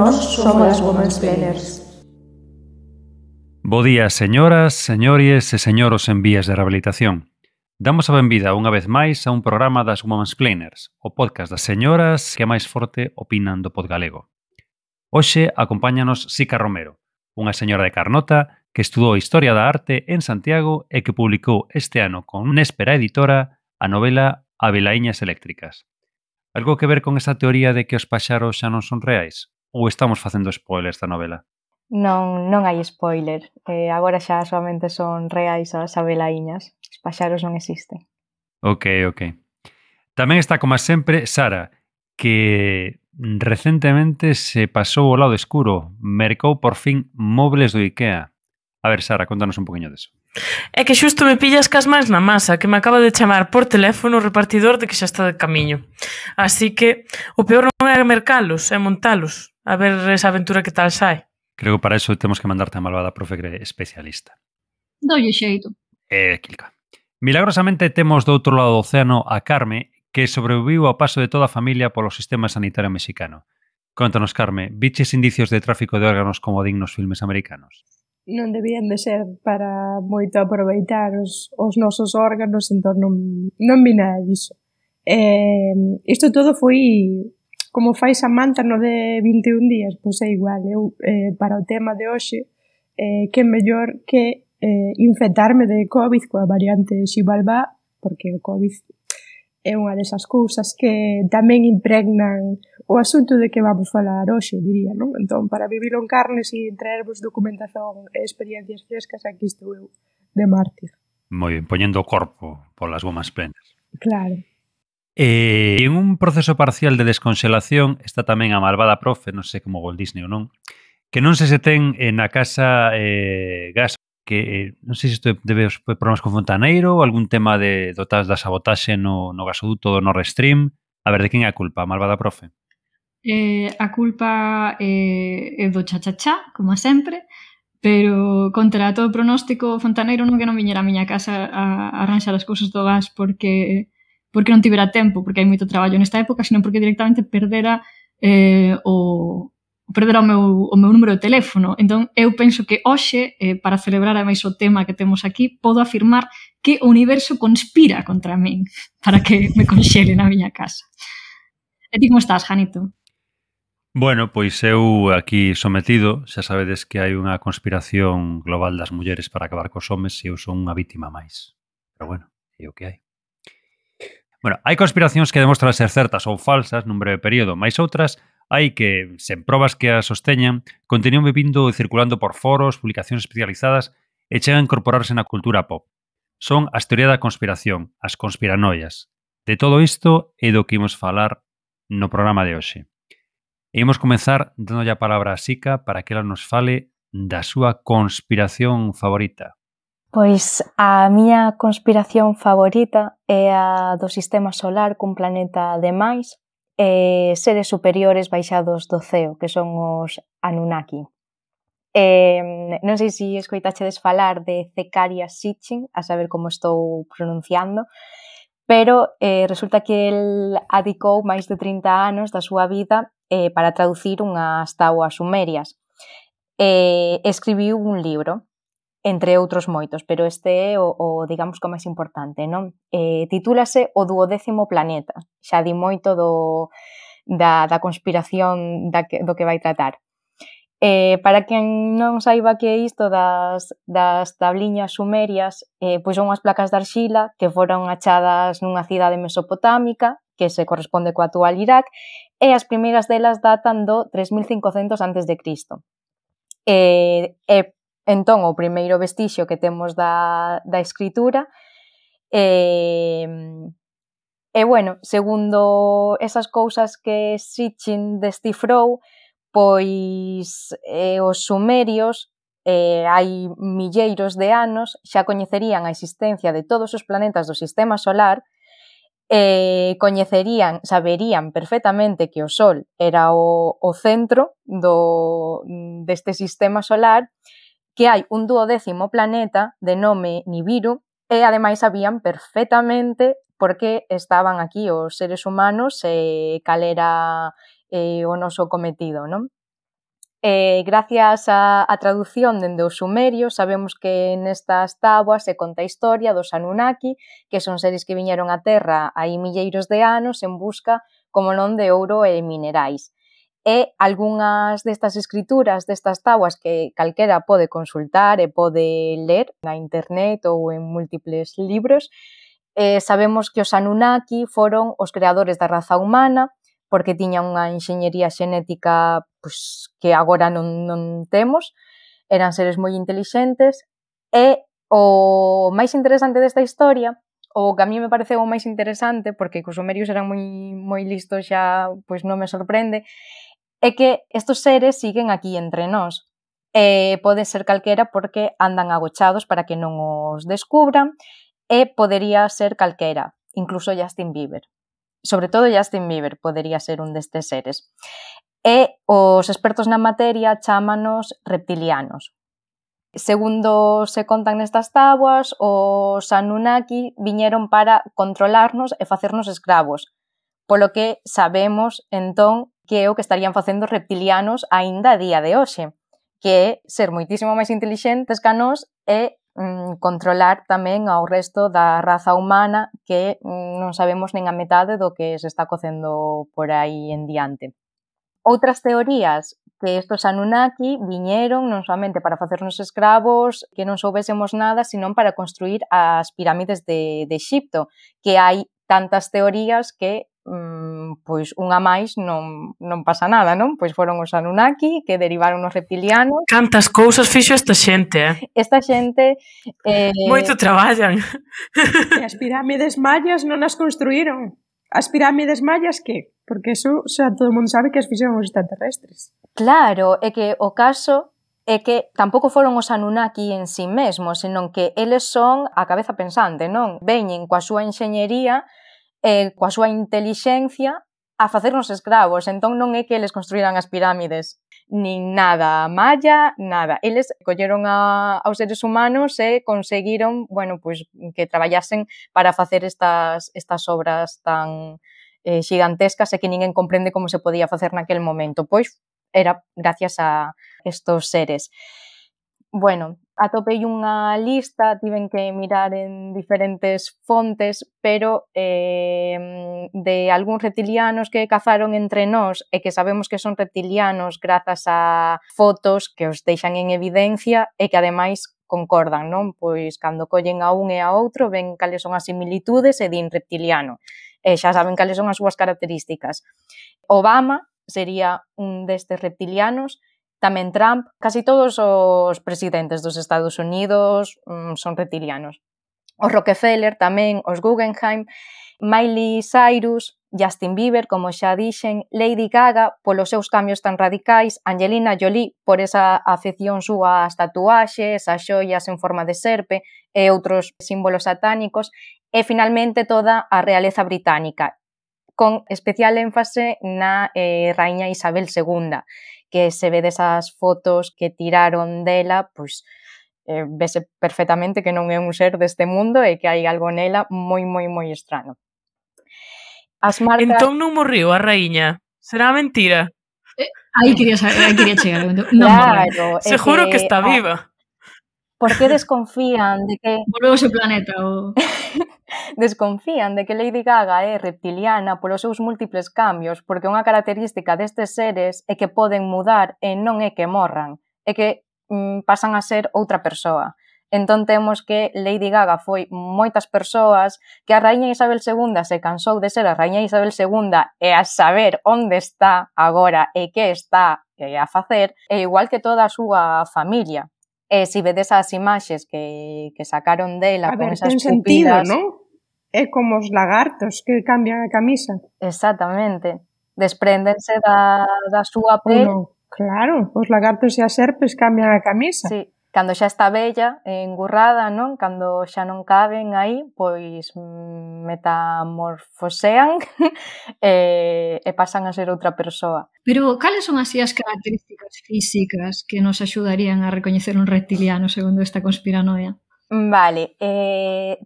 Nós somos as Womansplainers. Bo día, señoras, señores e señoros en vías de rehabilitación. Damos a benvida unha vez máis a un programa das Womansplainers, o podcast das señoras que máis forte opinan do pod galego. Hoxe acompáñanos Sica Romero, unha señora de Carnota que estudou Historia da Arte en Santiago e que publicou este ano con Néspera Editora a novela Avelaíñas Eléctricas. Algo que ver con esa teoría de que os paxaros xa non son reais? Ou estamos facendo spoilers da novela? Non hai spoiler. Agora xa solamente son reais as abelaíñas. Os paxaros non existen. Ok. Tamén está, como sempre, Sara, que recentemente se pasou ao lado escuro. Mercou por fin mobles do IKEA. A ver, Sara, contanos un poquinho deso. É que xusto me pillas cas mans na masa, que me acaba de chamar por teléfono o repartidor de que xa está de camiño. Así que o peor non é mercalos, é montalos. A ver esa aventura que tal sai. Creo que para eso temos que mandarte a malvada profe especialista. Doulle xeito. Kilka. Milagrosamente temos do outro lado do océano a Carme, que sobreviviu ao paso de toda a familia polo sistema sanitario mexicano. Contanos, Carme, viches indicios de tráfico de órganos como dignos filmes americanos? Non debían de ser para moito aproveitar os nosos órganos, entón non vi nada diso. Isto todo foi como fai Samantha no de 21 días, pois é igual. Eu, para o tema de hoxe, que mellor que infectarme de COVID coa variante Xibalbá, porque o COVID é unha desas cousas que tamén impregnan o asunto de que vamos falar hoxe, diría, non? Entón, para vivilo en carnes e traervos documentación e experiencias frescas, aquí estou eu, de mártir. Moi ben, poñendo o corpo polas gomas plenas. Claro. En un proceso parcial de desconxelación está tamén a malvada profe, non sei como Walt Disney ou non, que non sei se ten na casa gas, que non sei se isto debe os problemas con Fontaneiro ou algún tema de dotas da sabotaxe no gasoduto do Nord Stream. A ver, de quen é a culpa, a malvada profe? A culpa é do chachachá, como sempre, pero contra todo pronóstico Fontaneiro non que non viñera a miña casa a arranxar as cousas do gas porque non tivera tempo, porque hai moito traballo nesta época, senón porque directamente perdera o meu número de teléfono. Entón, eu penso que hoxe, para celebrar ademais o tema que temos aquí, podo afirmar que o universo conspira contra min para que me conxele na miña casa. E ti como estás, Janito? Bueno, pois eu aquí sometido, xa sabedes que hai unha conspiración global das mulleres para acabar cos homes e eu son unha vítima máis. Pero bueno, é o que hai. Bueno, hai conspiracións que demostran ser certas ou falsas nun breve período, máis outras hai que, sen probas que as sosteñan, continúan vivindo e circulando por foros, publicacións especializadas e chegan a incorporarse na cultura pop. Son as teorías da conspiración, as conspiranoias. De todo isto é do que imos falar no programa de hoxe. E imos comenzar dando a palabra a Sica para que ela nos fale da súa conspiración favorita. Pois a miña conspiración favorita é a do sistema solar cun planeta de máis e seres superiores baixados do ceo, que son os Anunnaki. Non sei se escoitachedes falar de Zecharia Sitchin, a saber como estou pronunciando, pero resulta que el adicou máis de 30 anos da súa vida para traducir unhas táboas sumerias. Escribiu un libro, entre outros moitos, pero este é o digamos, que o máis importante, non? Titúlase O 12º planeta. Xa di moito da conspiración do que vai tratar. Para quen non saiba que é isto das tabliñas sumerias, pois son unhas placas de arxila que foron achadas nunha cidade mesopotámica que se corresponde co actual Irak e as primeiras delas datan do 3500 a.C. Entón, o primeiro vestixio que temos da escritura e bueno, segundo esas cousas que Sitchin descifrou, pois os sumerios hai milleiros de anos xa coñecerían a existencia de todos os planetas do sistema solar saberían perfectamente que o Sol era o centro deste sistema solar, que hai un 12º planeta de nome Nibiru e ademais sabían perfectamente por que estaban aquí os seres humanos e cal era o noso cometido, non? Gracias á traducción dende o sumerio, sabemos que nestas táboas se conta a historia dos Anunnaki, que son seres que viñeron á Terra hai milleiros de anos en busca, como non, de ouro e minerais. E algunhas destas escrituras, destas táboas que calquera pode consultar e pode ler na internet ou en múltiples libros, sabemos que os Anunnaki foron os creadores da raza humana, porque tiñan unha enxeñería xenética que agora non temos, eran seres moi intelixentes, e o máis interesante desta historia, o que a mí me pareceu o máis interesante, porque os sumerios eran moi listos xa, pois non me sorprende, é que estos seres siguen aquí entre nós. Pode ser calquera porque andan agochados para que non os descubran, e podería ser calquera, incluso Justin Bieber. Sobre todo Justin Bieber podería ser un destes seres. E os expertos na materia chámanos reptilianos. Segundo se contan nestas táboas, os Anunnaki viñeron para controlarnos e facernos escravos, polo que sabemos, entón, que é o que estarían facendo os reptilianos aínda a día de hoxe, que é ser moitísimo máis intelixentes que a nós e controlar tamén ao resto da raza humana que non sabemos nin a metade do que se está cocendo por aí en diante. Outras teorías que estos Anunnaki viñeron non somente para facernos escravos, que non soubésemos nada, senón para construir as pirámides de Exipto, que hai tantas teorías que pois unha máis non pasa nada, non? Pois foron os Anunnaki que derivaron os reptilianos. Cantas cousas fixo esta xente, Esta xente... Moito traballan. E as pirámides mayas non as construíron. As pirámides mayas, que? Porque eso, xa todo o mundo sabe que as fixeron os extraterrestres. Claro, é que o caso é que tampouco foron os Anunnaki en sí mesmos, senón que eles son a cabeza pensante, non? Veñen coa súa enxeñería coa súa intelixencia a facernos escravos, entón non é que eles construíran as pirámides, nin nada maya, nada. Eles colleron aos seres humanos e conseguiron, bueno, pois que traballasen para facer estas obras tan xigantescas e que ninguén comprende como se podía facer naquel momento. Pois era gracias a estos seres. Bueno, atopei unha lista, tiven que mirar en diferentes fontes, pero de algúns reptilianos que cazaron entre nós e que sabemos que son reptilianos grazas a fotos que os deixan en evidencia e que ademais concordan, non? Pois cando collen a un e a outro ven cales son as similitudes e din reptiliano. E xa saben cales son as súas características. Obama sería un destes reptilianos, tamén Trump, casi todos os presidentes dos Estados Unidos son reptilianos. Os Rockefeller tamén, os Guggenheim, Miley Cyrus, Justin Bieber, como xa dixen, Lady Gaga, polos seus cambios tan radicais, Angelina Jolie, por esa afección súa ás tatuaxes, as xoias en forma de serpe e outros símbolos satánicos, e finalmente toda a realeza británica, con especial énfase na raíña Isabel II, que se ve desas fotos que tiraron dela, pois vese perfectamente que non é un ser deste mundo e que hai algo nela moi estrano. As marcas... Entón non morriu a raíña. Será mentira? Aí quería chegar. Non claro, seguro que está viva. Por que desconfían de que... Volveu ao seu planeta. Desconfían de que Lady Gaga é reptiliana polos seus múltiples cambios, porque unha característica destes seres é que poden mudar e non é que morran, é que pasan a ser outra persoa. Entón temos que Lady Gaga foi moitas persoas, que a raíña Isabel II se cansou de ser a raíña Isabel II e a saber onde está agora e que está a facer, e igual que toda a súa familia. E se vedes as imaxes que sacaron dela con esas pupilas... sentido, non? É como os lagartos que cambian a camisa. Exactamente. Despréndense da súa pel. Claro, os lagartos e as serpes cambian a camisa. Sí, cando xa está bella, engurrada, non? Cando xa non caben aí, pois metamorfosean e pasan a ser outra persoa. Pero cales son así as características físicas que nos axudarían a recoñecer un reptiliano segundo esta conspiranoia? Vale,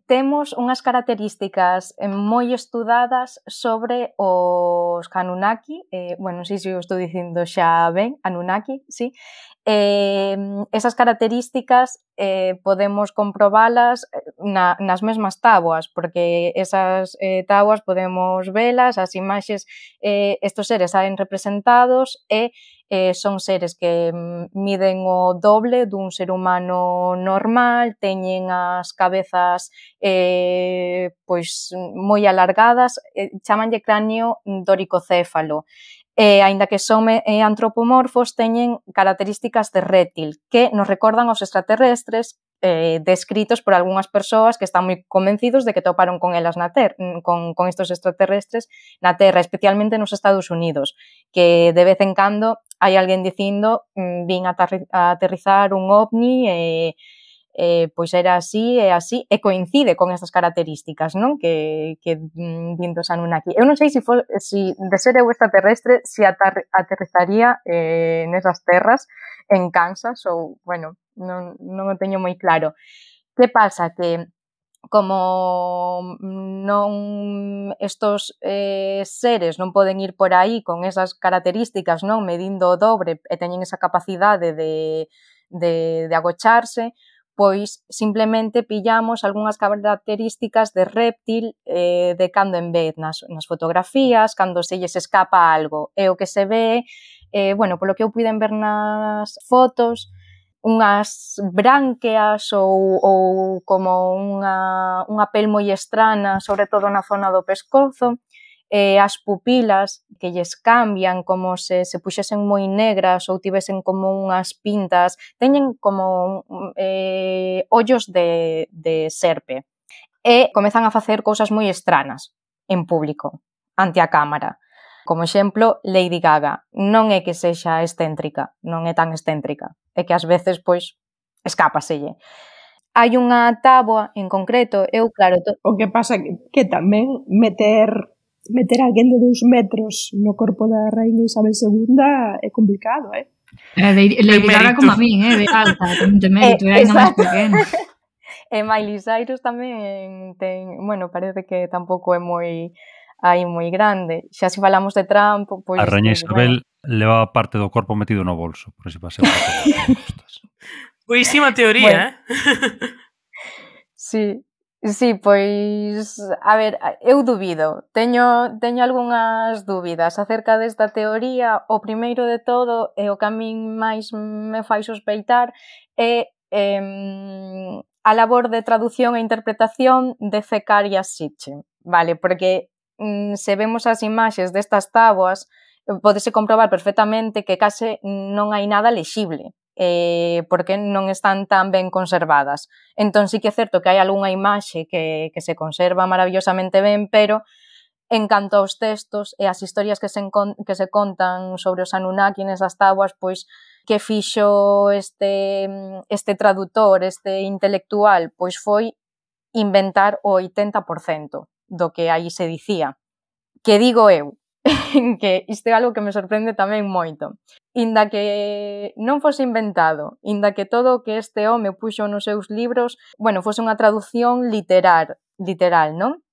temos unhas características moi estudadas sobre os Anunnaki, bueno, non sei se o estou dicindo xa ben, Anunnaki, sí. Esas características podemos comprobalas nas mesmas táboas, porque esas táboas podemos velas, as imaxes, estos seres saen representados e son seres que miden o doble dun ser humano normal, teñen as cabezas pois moi alargadas, chamanlle cráneo doricocéfalo. Aínda que son antropomorfos, teñen características de réptil que nos recordan aos extraterrestres descritos por algunhas persoas que están moi convencidos de que toparon con elas na Terra, con estos extraterrestres na Terra, especialmente nos Estados Unidos, que de vez en cando hai alguén dicindo vin a aterrizar un ovni pois era así e coincide con estas características, non? Que din dos Anunnaki. Eu non sei se de ser eu extraterrestre se aterrizaría nesas terras en Kansas ou, bueno, non o teño moi claro. Que pasa? Que como non estos seres non poden ir por aí con esas características, non medindo o dobre e teñen esa capacidade de agocharse, pois simplemente pillamos algunhas características de réptil de cando en vez nas fotografías, cando se lles escapa algo. E o que se ve, bueno, polo que eu puiden ver nas fotos, unhas bránqueas ou como unha pel moi estrana, sobre todo na zona do pescozo, as pupilas que lles cambian como se puxesen moi negras ou tivesen como unhas pintas, teñen como ollos de serpe e comezan a facer cousas moi estranas en público, ante a cámara. Como exemplo, Lady Gaga. Non é que sexa excéntrica, non é tan excéntrica, é que ás veces, pois, escápaselle. Hai unha táboa en concreto, eu, claro... O que pasa que tamén meter alguén de 2 metros no corpo da Raíña Isabel II é complicado, Lady Gaga como a min, de alta, ten mérito, é ainda máis pequena. E Miley Cyrus tamén ten... Bueno, parece que tampouco é moi grande. Xa se falamos de Trump, pois... A Raíña Isabel leva parte do corpo metido no bolso, por si paseo. Boísima teoría, Sí, pois, a ver, eu dubido, teño algunhas dúbidas acerca desta teoría. O primeiro de todo, e o que a min máis me fai sospeitar, é a labor de traducción e interpretación de Zecharia Sitchin, vale? Porque se vemos as imaxes destas táboas, pódese comprobar perfectamente que case non hai nada lexible, porque non están tan ben conservadas. Entón, sí que é certo que hai algunha imaxe que se conserva maravillosamente ben, pero en canto aos textos e as historias que se contan sobre os Anunnaki nesas táboas, pois, que fixo este traductor, este intelectual, pois foi inventar o 80% do que aí se dicía. Que digo eu, que isto é algo que me sorprende tamén moito. Inda que non fose inventado, inda que todo o que este home puxo nos seus libros, bueno, fose unha traducción literal, non?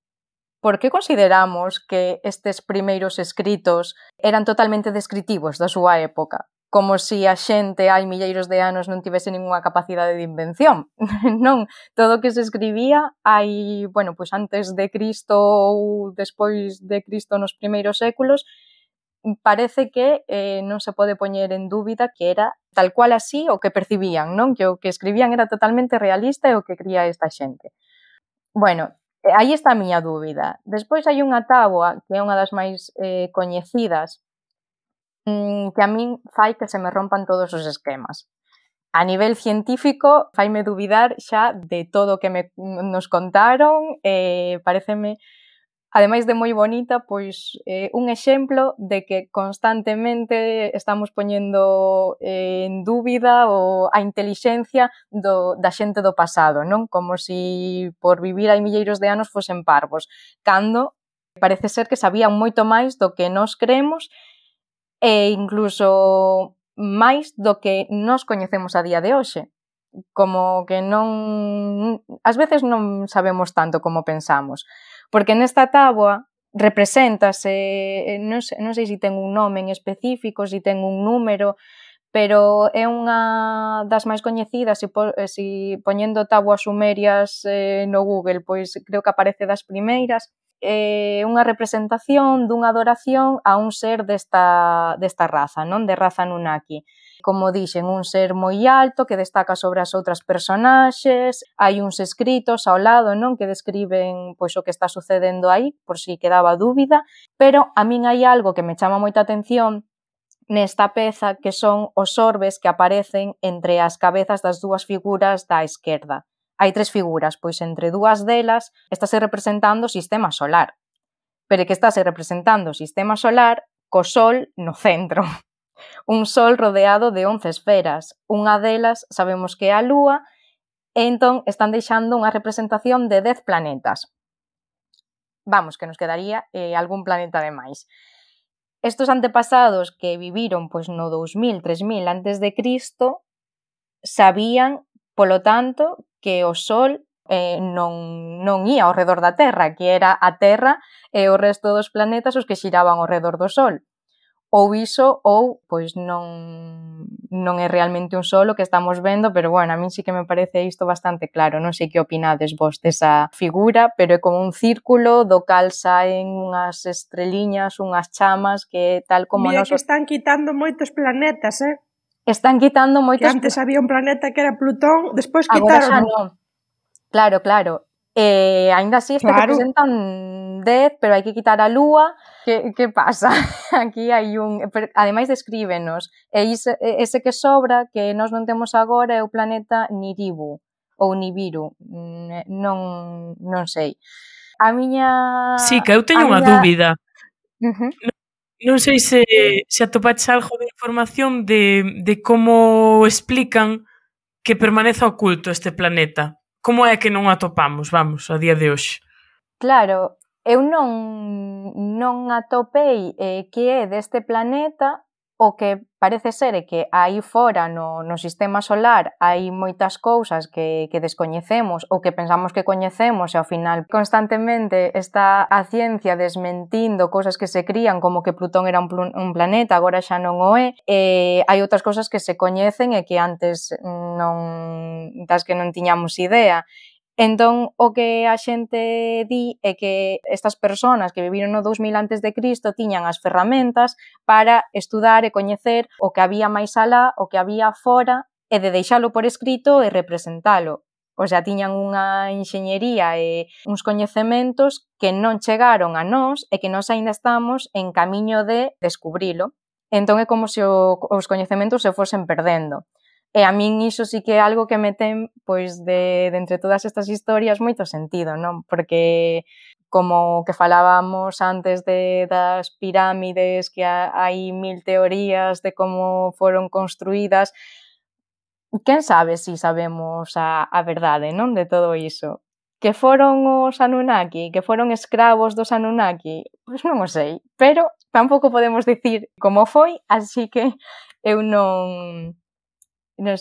Por que consideramos que estes primeiros escritos eran totalmente descritivos da súa época? Como se a xente hai milleiros de anos non tivese ninguna capacidade de invención. Non, todo o que se escribía hai, bueno, pois antes de Cristo ou despois de Cristo nos primeiros séculos, parece que non se pode poñer en dúbida que era tal cual así o que percibían, non? Que o que escribían era totalmente realista e o que cría esta xente. Bueno, aí está a miña dúbida. Despois hai unha táboa, que é unha das máis coñecidas, que a min fai que se me rompan todos os esquemas. A nivel científico, faime dubidar xa de todo o que nos contaron, pareceme, ademais de moi bonita, pois un exemplo de que constantemente estamos poñendo en dúbida a intelixencia da xente do pasado, non? Como se por vivir hai milleiros de anos fosen parvos, cando parece ser que sabían moito máis do que nós creemos e incluso máis do que nós coñecemos a día de hoxe. como que non... Ás veces non sabemos tanto como pensamos, porque nesta táboa represéntase, non sei se ten un nome en específico, se ten un número, pero é unha das máis coñecidas, se poñendo táboas sumerias no Google, pois creo que aparece das primeiras, unha representación dunha adoración a un ser desta raza, non? De raza Anunnaki. Como dixen, un ser moi alto que destaca sobre as outras personaxes, hai uns escritos ao lado, non? Que describen pois o que está sucedendo aí, por si quedaba dúbida, pero a min hai algo que me chama moita atención nesta peza, que son os orbes que aparecen entre as cabezas das dúas figuras da esquerda. Hai 3 figuras, pois entre dúas delas estáse representando o sistema solar, pero que estáse representando o sistema solar co sol no centro. Un sol rodeado de 11 esferas. Unha delas sabemos que é a Lúa, e entón están deixando unha representación de 10 planetas. Vamos, que nos quedaría algún planeta de máis. Estos antepasados que viviron pois no 2000, 3000 antes de Cristo sabían, polo tanto, que o Sol non ía ao redor da Terra, que era a Terra e o resto dos planetas os que xiraban ao redor do Sol. Ou iso, ou pois non é realmente un Sol o que estamos vendo, pero bueno, a min sí que me parece isto bastante claro. Non sei que opinades vos desa figura, pero é como un círculo do cal saen unhas estreliñas, unhas chamas, que tal como Mira nos... que están quitando moitos planetas, Están quitando moitos... Que antes había un planeta que era Plutón, despois agora xa quitaron. non. Claro. Ainda así representan 10, pero hai que quitar a Lúa. Que pasa? Aquí hai un... Ademais descríbenos. E ese que sobra, que nós non temos agora, é o planeta Nibiru, ou Nibiru. Non sei. A miña... Sí, que eu teño unha dúbida. Non sei se atopaches algo de información de como explican que permaneza oculto este planeta. Como é que non o atopamos, vamos, a día de hoxe? Claro, eu non atopei que é deste planeta. O que parece ser é que aí fora no sistema solar hai moitas cousas que descoñecemos ou que pensamos que coñecemos e ao final constantemente está a ciencia desmentindo cousas que se crían como que Plutón era un planeta, agora xa non o é. Hai outras cousas que se coñecen e que antes das que non tiñamos idea. Entón, o que a xente di é que estas persoas que viviron no 2000 antes de Cristo tiñan as ferramentas para estudar e coñecer o que había máis alá, o que había fora, e de deixalo por escrito e representalo. O sea, tiñan unha enxeñería e uns coñecementos que non chegaron a nós e que nós aínda estamos en camiño de descubrilo. Entón, é como se os coñecementos se fosen perdendo. E a min iso sí que é algo que me ten, pois, de entre todas estas historias moito sentido, non? Porque como que falábamos antes das pirámides, que hai 1000 teorías de como foron construídas, quen sabe si sabemos a verdade, non? De todo iso. Que foron os Anunnaki, que foron escravos dos Anunnaki, pois non o sei, pero tampouco podemos dicir como foi, así que eu non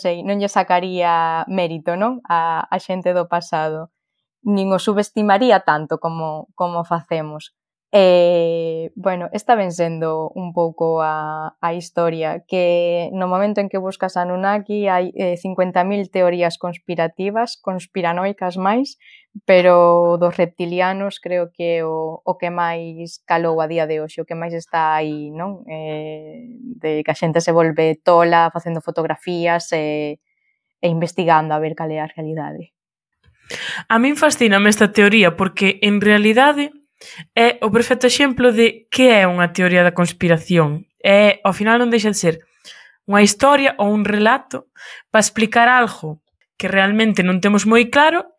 sei, non lle sacaría mérito, non? A xente do pasado. Nin o subestimaría tanto como facemos. Bueno, está ben sendo un pouco a historia, que no momento en que buscas Anunnaki hai 50.000 teorías conspiranoicas máis, pero dos reptilianos creo que é o que máis calou a día de hoxe, o que máis está aí, non? De que a xente se volve tola facendo fotografías e investigando a ver cal é a realidade. A min fascíname esta teoría porque, en realidade, é o perfecto exemplo de que é unha teoría da conspiración. Ao final non deixa de ser unha historia ou un relato para explicar algo que realmente non temos moi claro,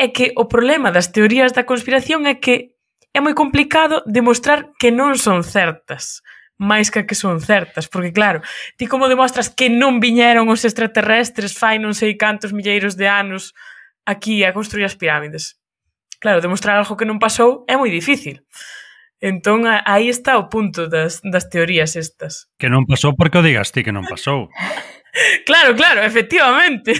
e que o problema das teorías da conspiración é que é moi complicado demostrar que non son certas, máis que son certas, porque claro, ti como demostras que non viñeron os extraterrestres fai non sei cantos milleiros de anos aquí a construir as pirámides? Claro, demostrar algo que non pasou é moi difícil. Entón, aí está o punto das teorías estas. Que non pasou porque o digas ti que non pasou. Claro, efectivamente.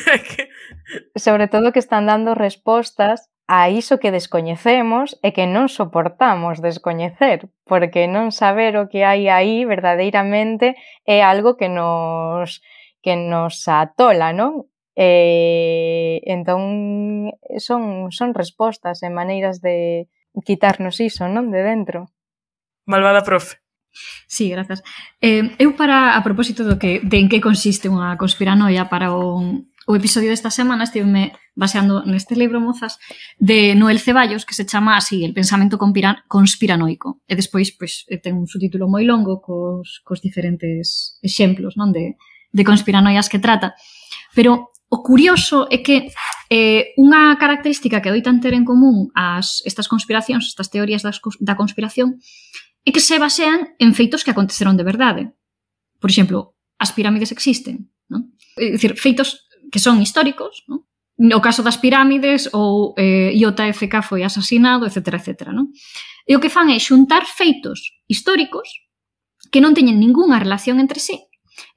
Sobre todo que están dando respostas a iso que descoñecemos e que non soportamos descoñecer, porque non saber o que hai aí verdadeiramente é algo que nos atola, non? Entón, son respostas e maneiras de quitarnos iso, non? De dentro. Malvada profe. Sí, grazas. Eu a propósito de en que consiste unha conspiranoia para o episodio desta semana estiveme baseando neste libro, mozas, de Noel Ceballos, que se chama así, El pensamento conspiranoico. E despois, pois, ten un subtítulo moi longo cos diferentes exemplos, non, de conspiranoias que trata. Pero o curioso é que unha característica que doitan ter en común estas conspiracións, estas teorías da conspiración, é que se basean en feitos que aconteceron de verdade. Por exemplo, as pirámides existen, non? É dicir, feitos que son históricos, non? No caso das pirámides, ou IJFK foi asasinado, etc. Non? E o que fan é xuntar feitos históricos que non teñen ningunha relación entre sí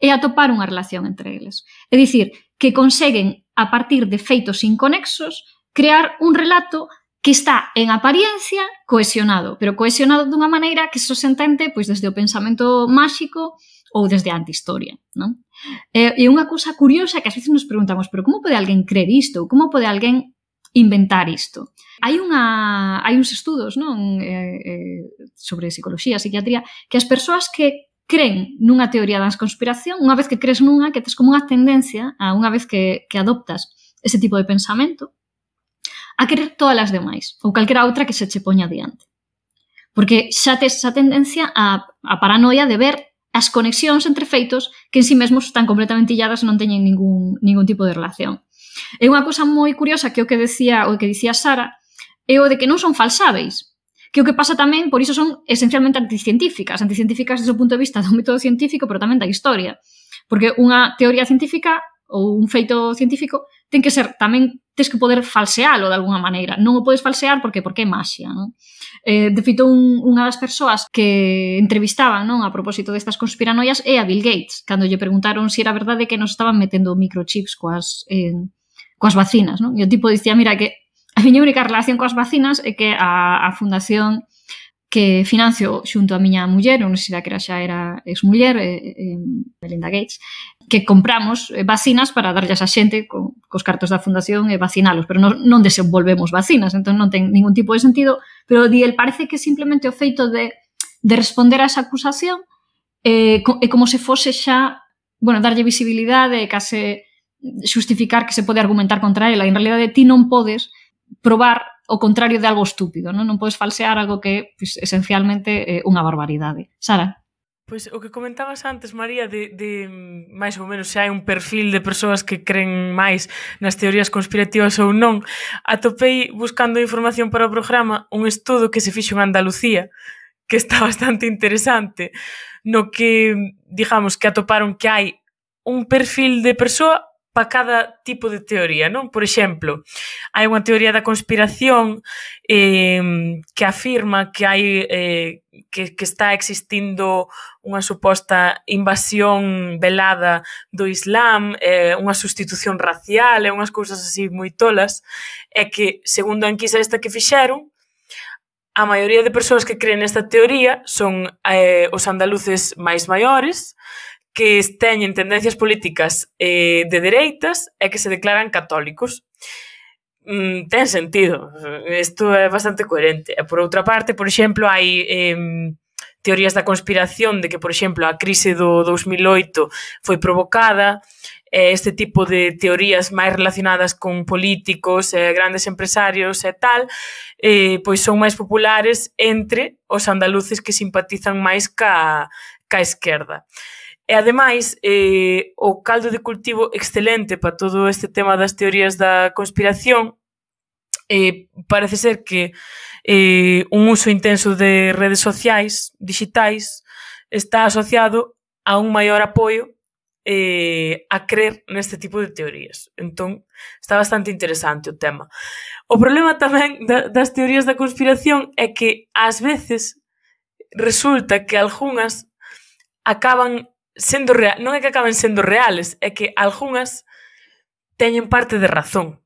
e atopar unha relación entre eles. É dicir, que conseguen, a partir de feitos inconexos, crear un relato que está en apariencia cohesionado, pero cohesionado dunha maneira que só se entende pois, desde o pensamento máxico ou desde a antihistoria. Non? E unha cousa curiosa que ás veces nos preguntamos, pero como pode alguén creer isto? Como pode alguén inventar isto? Hai uns estudos, non? Sobre psicología, psiquiatría, que as persoas que creen nunha teoría da conspiración, unha vez que crees nunha, que tes como unha tendencia, a unha vez que adoptas ese tipo de pensamento, a querer todas as demais, ou calquera outra que se che poña diante. Porque xa tes esa tendencia a paranoia de ver as conexións entre feitos que en si mesmos están completamente illadas e non teñen ningún tipo de relación. E unha cousa moi curiosa que o que dicía Sara é o de que non son falsáveis, que o que pasa tamén, por iso son esencialmente anticientíficas desde o punto de vista do método científico, pero tamén da historia. Porque unha teoría científica ou un feito científico ten que ser tamén, tens que poder falsealo de alguna maneira. Non o podes falsear porque é maxia, non? De feito, unha das persoas que entrevistaban, non, a propósito destas conspiranoias é a Bill Gates, cando lle preguntaron se era verdade que nos estaban metendo microchips coas vacinas, non? E o tipo dicía, mira, que a miña única relación coas vacinas é que a fundación que financio xunto a miña muller, non sei se xa era exmuller, Melinda Gates, que compramos vacinas para darllas a xente cos cartos da fundación e vacinalos, pero non desenvolvemos vacinas, entón non ten ningún tipo de sentido, pero el parece que simplemente o feito de responder a esa acusación é como se fose xa, bueno, darlle visibilidade e case xustificar que se pode argumentar contra ela, e en realidade ti non podes probar o contrario de algo estúpido, non podes falsear algo que pues, esencialmente é unha barbaridade. Sara? Pois o que comentabas antes, María, de máis ou menos se hai un perfil de persoas que creen máis nas teorías conspirativas ou non, atopei buscando información para o programa un estudo que se fixo en Andalucía, que está bastante interesante, no que, digamos, que atoparon que hai un perfil de persoa para cada tipo de teoría, non? Por exemplo, hai unha teoría da conspiración que afirma que hai que está existindo unha suposta invasión velada do Islam, unha sustitución racial e unhas cousas así moi tolas, e que, segundo a enquisa esta que fixeron, a maioría de persoas que creen nesta teoría son os andaluces máis maiores, que teñen tendencias políticas de dereitas e que se declaran católicos. Ten sentido. Isto é bastante coherente. E por outra parte, por exemplo, hai teorías da conspiración de que, por exemplo, a crise do 2008 foi provocada. Este tipo de teorías máis relacionadas con políticos, grandes empresarios e tal, pois son máis populares entre os andaluces que simpatizan máis ca esquerda. E, ademais, o caldo de cultivo excelente para todo este tema das teorías da conspiración parece ser que un uso intenso de redes sociais digitais está asociado a un maior apoio a crer neste tipo de teorías. Entón, está bastante interesante o tema. O problema tamén das teorías da conspiración é que, ás veces, resulta que algunhas acaban non é que acaben sendo reales, é que algunhas teñen parte de razón.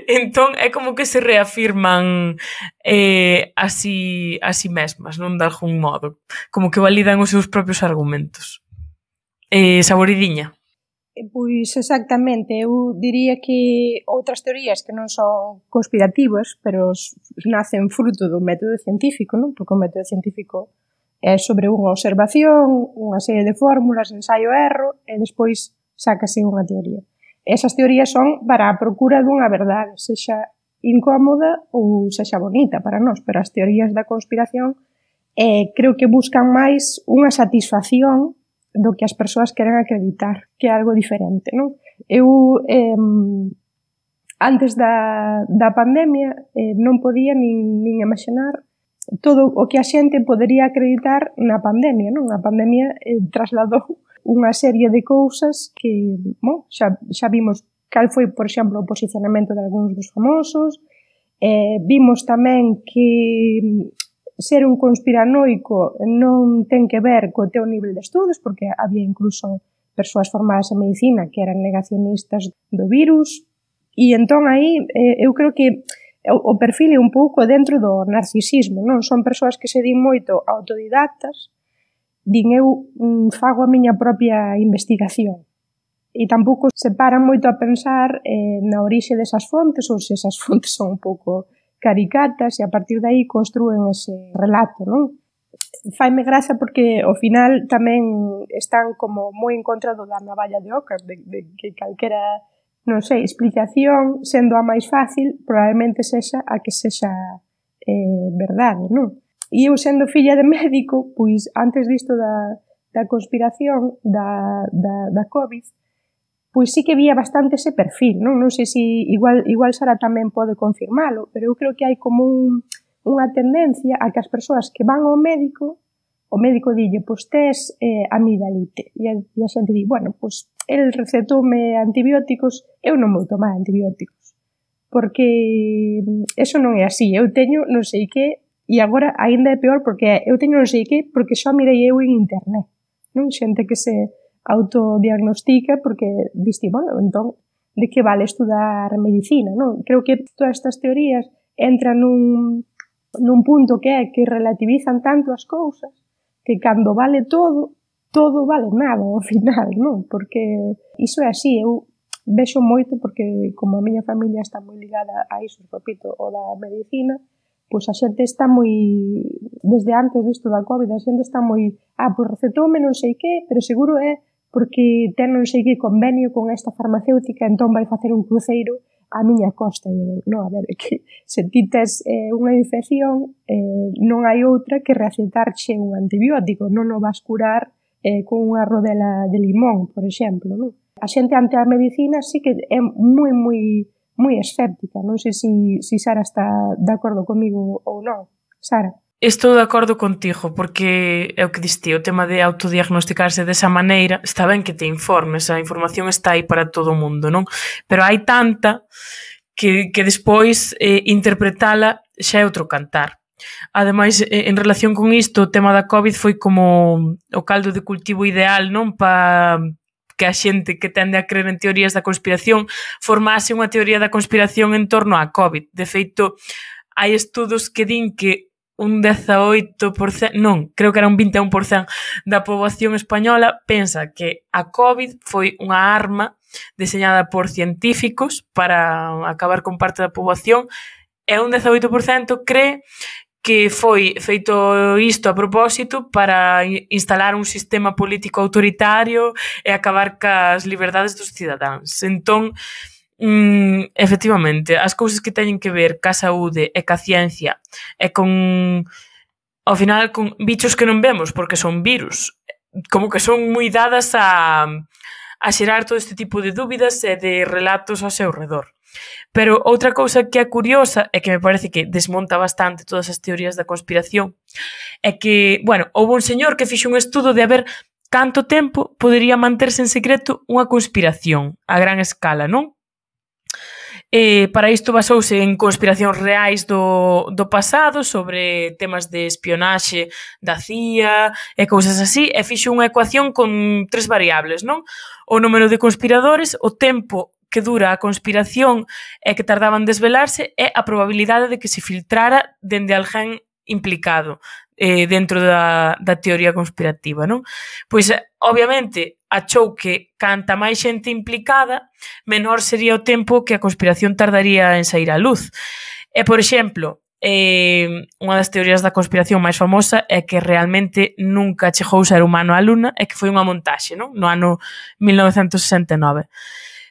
Entón é como que se reafirman así mesmas, non, de algún modo, como que validan os seus propios argumentos. Saboridiña. Pois exactamente, eu diría que outras teorías que non son conspirativas, pero nacen fruto do método científico, non? Porque o método científico é sobre unha observación, unha serie de fórmulas, ensaio-erro, e despois sácase unha teoría. Esas teorías son para a procura dunha verdade, sexa incómoda ou sexa bonita para nós, pero as teorías da conspiración creo que buscan máis unha satisfacción do que as persoas queren acreditar, que é algo diferente, non? Eu, antes da pandemia, non podía nin imaginar todo o que a xente podería acreditar na pandemia, non? A pandemia trasladou unha serie de cousas que, bon, xa vimos cal foi, por exemplo, o posicionamento de algúns dos famosos, vimos tamén que ser un conspiranoico non ten que ver co teu nivel de estudos, porque había incluso persoas formadas en medicina que eran negacionistas do virus, e entón aí eu creo que o perfil é un pouco dentro do narcisismo, non? Son persoas que se din moito autodidactas, din eu fago a miña propia investigación, e tampouco se paran moito a pensar na orixe desas fontes ou se esas fontes son un pouco caricatas e a partir de aí construen ese relato, non? Faime graza porque ao final tamén están como moi en contra do da navalla de Occam, de que calquera, non sei, explicación, sendo a máis fácil, probablemente sexa a que sexa verdade, non? E eu sendo filla de médico, pois antes disto da conspiración da COVID, pois sí que vía bastante ese perfil, non? Non sei se igual Sara tamén pode confirmalo, pero eu creo que hai como unha tendencia a que as persoas que van ao médico, o médico dille, pois tes amigdalite, e a xente di, bueno, pois el recetoume antibióticos, eu non vou tomar antibióticos, porque eso non é así, eu teño non sei que, e agora aínda é peor porque eu teño non sei que, porque só mirei eu en internet, non? Xente que se autodiagnostica porque diste, bueno, entón, de que vale estudar medicina, non? Creo que todas estas teorías entran nun punto que é que relativizan tanto as cousas que cando vale todo vale nada ao final, non? Porque iso é así, eu vexo moito porque como a miña familia está moi ligada a iso, repito, o da medicina, pois a xente está moi, desde antes disto da COVID, a xente está moi, pois recetoume non sei que, pero seguro é porque ten non sei que convenio con esta farmacéutica, entón vai facer un cruceiro á miña costa. Non, a ver, que se ti tes unha infección, non hai outra que recetarche un antibiótico, non o vas curar con unha rodela de limón, por exemplo, non? A xente ante a medicina sí que é moi escéptica, non sei se Sara está de acordo comigo ou non. Sara? Estou de acordo contigo, porque é o que diste, o tema de autodiagnosticarse desa maneira, está ben que te informes, a información está aí para todo o mundo, non? Pero hai tanta que despois interpretala xa é outro cantar. Ademais, en relación con isto, o tema da COVID foi como o caldo de cultivo ideal, non? Pa que a xente que tende a creer en teorías da conspiración formase unha teoría da conspiración en torno á COVID. De feito, hai estudos que din que un 18%, non, creo que era un 21% da poboación española pensa que a COVID foi unha arma deseñada por científicos para acabar con parte da poboación e un 18% cree que foi feito isto a propósito para instalar un sistema político autoritario e acabar cas liberdades dos cidadáns. Entón, efectivamente, as cousas que teñen que ver ca saúde e ca ciencia e con, ao final, con bichos que non vemos porque son virus, como que son moi dadas a xerar todo este tipo de dúbidas e de relatos ao seu redor. Pero outra cousa que é curiosa e que me parece que desmonta bastante todas as teorías da conspiración é que, bueno, houve un señor que fixo un estudo de a ver canto tempo podería manterse en secreto unha conspiración a gran escala, non? Para isto basouse en conspiracións reais do pasado sobre temas de espionaxe da CIA e cousas así, e fixo unha ecuación con 3 variables, non? O número de conspiradores, o tempo que dura a conspiración e que tardaban en desvelarse e a probabilidade de que se filtrara dende alguén implicado dentro da teoría conspirativa, non? Pois, obviamente, achou que canta máis xente implicada, menor sería o tempo que a conspiración tardaría en sair á luz. E, por exemplo, unha das teorías da conspiración máis famosa é que realmente nunca chegou o ser humano á Luna e que foi unha montaxe, non? No ano 1969.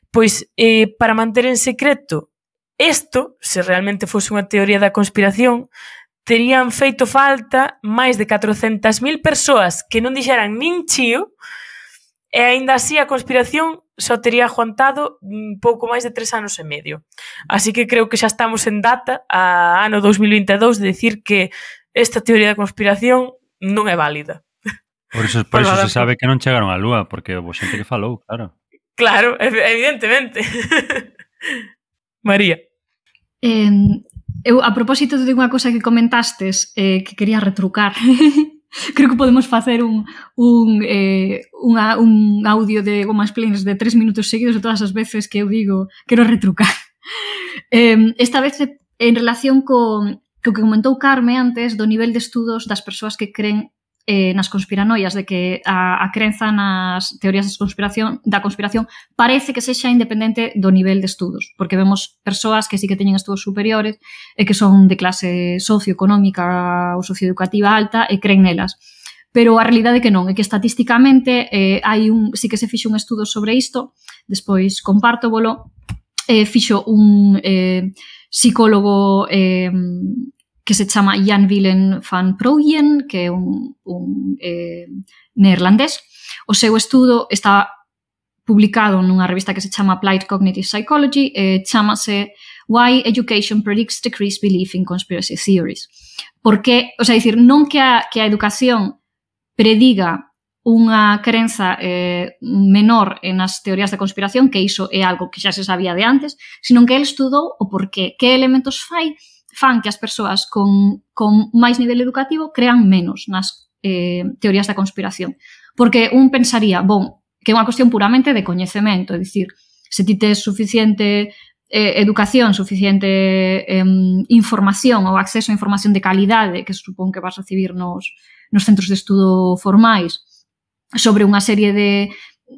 Pois, para manter en secreto isto, se realmente fose unha teoría da conspiración, terían feito falta máis de 400.000 persoas que non dixeran nin chío, e aínda así a conspiración só tería aguantado pouco máis de 3 anos e medio. Así que creo que xa estamos en data, a ano 2022, de decir que esta teoría da conspiración non é válida. Por iso se sabe que non chegaron á Lúa, porque houve xente que falou, claro. Claro, evidentemente. María. Eu, a propósito de unha cosa que comentastes que quería retrucar, creo que podemos facer un audio de gomas plenas de 3 minutos seguidos de todas as veces que eu digo quero retrucar. Esta vez en relación co que comentou Carme antes do nivel de estudos das persoas que creen nas conspiranoias, de que a crenza nas teorías da conspiración parece que sexa independente do nivel de estudos, porque vemos persoas que sí que teñen estudos superiores e que son de clase socioeconómica ou socioeducativa alta e creen nelas. Pero a realidade é que non, é que estatísticamente sí que se fixo un estudo sobre isto, despois compártovolo, fixo un psicólogo que se chama Jan Willem van Prooijen, que é un neerlandés. O seu estudo está publicado nunha revista que se chama Applied Cognitive Psychology, chamase Why Education Predicts Decreased Belief in Conspiracy Theories. Porque, o sea, dicir, non que a educación prediga unha crenza menor nas teorías da conspiración, que iso é algo que xa se sabía de antes, sino que ele estudou o porqué, que elementos fan que as persoas con máis nivel educativo crean menos nas teorías da conspiración. Porque un pensaría, que é unha cuestión puramente de coñecemento, é dicir, se ti tes suficiente educación, suficiente información ou acceso a información de calidade que supón que vas recibir nos centros de estudo formais sobre unha serie de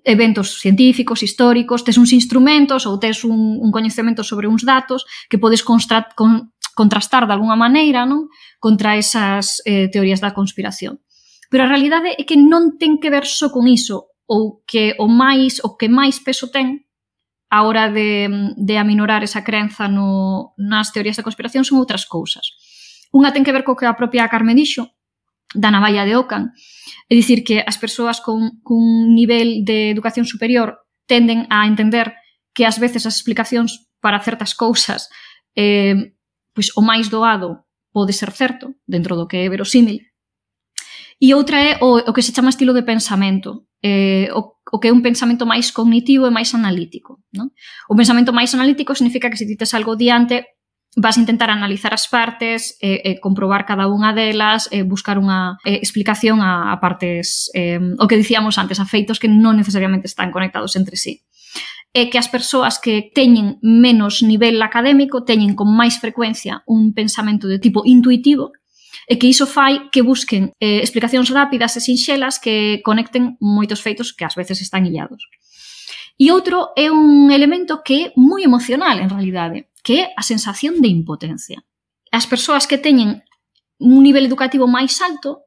eventos científicos, históricos, tes uns instrumentos ou tes un coñecemento sobre uns datos que podes contrastar de alguna maneira, non, contra esas teorías da conspiración. Pero a realidade é que non ten que ver só con iso, ou que o que máis peso ten a hora de aminorar esa crenza nas teorías da conspiración son outras cousas. Unha ten que ver co que a propia Carme dixo, da navalla de Ockham, é dicir que as persoas cun nivel de educación superior tenden a entender que ás veces as explicacións para certas cousas pois o máis doado pode ser certo, dentro do que é verosímil. E outra é o que se chama estilo de pensamento, o que é un pensamento máis cognitivo e máis analítico. Non? O pensamento máis analítico significa que se ti tes algo diante, vas a intentar analizar as partes, comprobar cada unha delas, buscar unha explicación a partes, o que dicíamos antes, a feitos que non necesariamente están conectados entre sí. É que as persoas que teñen menos nivel académico teñen con máis frecuencia un pensamento de tipo intuitivo e que iso fai que busquen explicacións rápidas e sinxelas que conecten moitos feitos que ás veces están illados. E outro é un elemento que é moi emocional, en realidade, que é a sensación de impotencia. As persoas que teñen un nivel educativo máis alto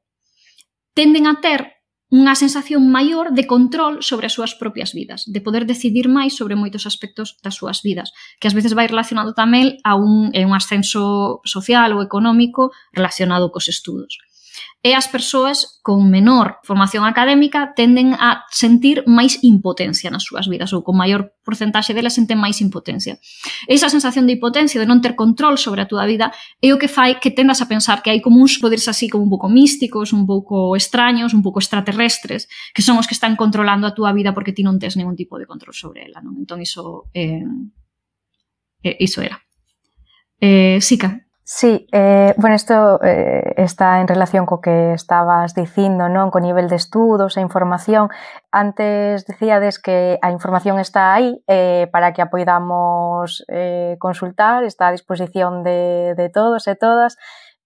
tenden a ter unha sensación maior de control sobre as súas propias vidas, de poder decidir máis sobre moitos aspectos das súas vidas, que ás veces vai relacionado tamén a un ascenso social ou económico relacionado cos estudos. E as persoas con menor formación académica tenden a sentir máis impotencia nas súas vidas, ou con maior porcentaxe delas senten máis impotencia. Esa sensación de impotencia, de non ter control sobre a túa vida, é o que fai que tendas a pensar que hai como uns poderes así como un pouco místicos, un pouco extraños, un pouco extraterrestres, que son os que están controlando a túa vida porque ti non tes ningún tipo de control sobre ela, non? Entón iso é Iso era. Sica. Sí, bueno, isto está en relación co que estabas dicindo, non? Co nivel de estudos e información. Antes dicíades que a información está aí para que a poidamos consultar, está a disposición de todos e todas,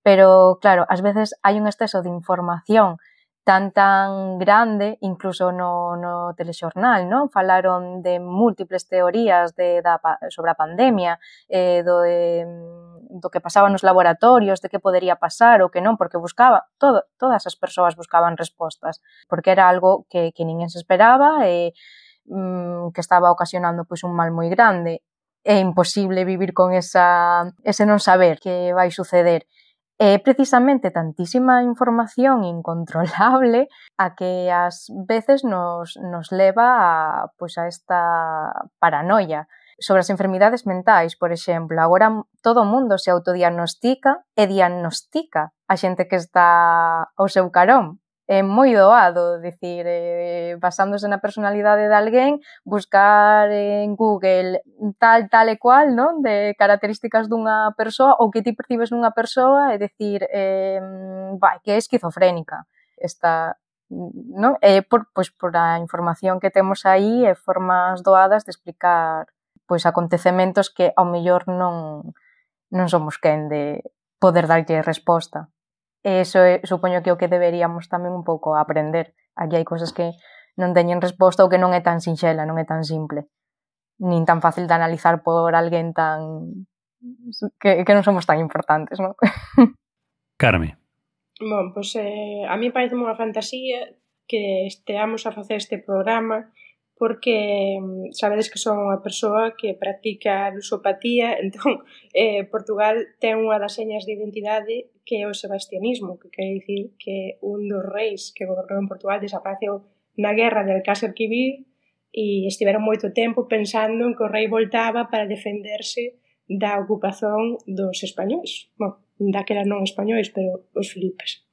pero, claro, ás veces hai un exceso de información tan grande, incluso no telexornal, non? Falaron de múltiples teorías sobre a pandemia, do que pasaba nos laboratorios, de que podería pasar ou que non, porque todas as persoas buscaban respostas, porque era algo que ninguén se esperaba e que estaba ocasionando pois un mal moi grande. É imposible vivir con ese non saber que vai suceder. É precisamente tantísima información incontrolable a que ás veces nos leva a esta paranoia. Sobre as enfermidades mentais, por exemplo, agora todo o mundo se autodiagnostica e diagnostica a xente que está ao seu carón. É moi doado, dicir, basándose na personalidade de alguén, buscar en Google tal e cual, non? De características dunha persoa ou que ti percibes nunha persoa e dicir que é esquizofrénica esta, non? Por a información que temos aí e formas doadas de explicar pois acontecementos que ao mellor non somos quen de poder darlle resposta. E iso supoño que é o que deberíamos tamén un pouco aprender. Aquí hai cousas que non teñen resposta ou que non é tan sinxela, non é tan simple, nin tan fácil de analizar por alguén que non somos tan importantes, non? Carme. Bon, pois a mí parece unha fantasía que esteamos a facer este programa porque sabedes que son unha persoa que practica lusopatía, entón Portugal ten unha das señas de identidade que é o sebastianismo, que quere dicir que un dos reis que gobernou en Portugal desapareceu na guerra de Alcácer-Quibir e estiveron moito tempo pensando en que o rei voltaba para defenderse da ocupación dos españois. Bon, daquela non españois, pero os filipes.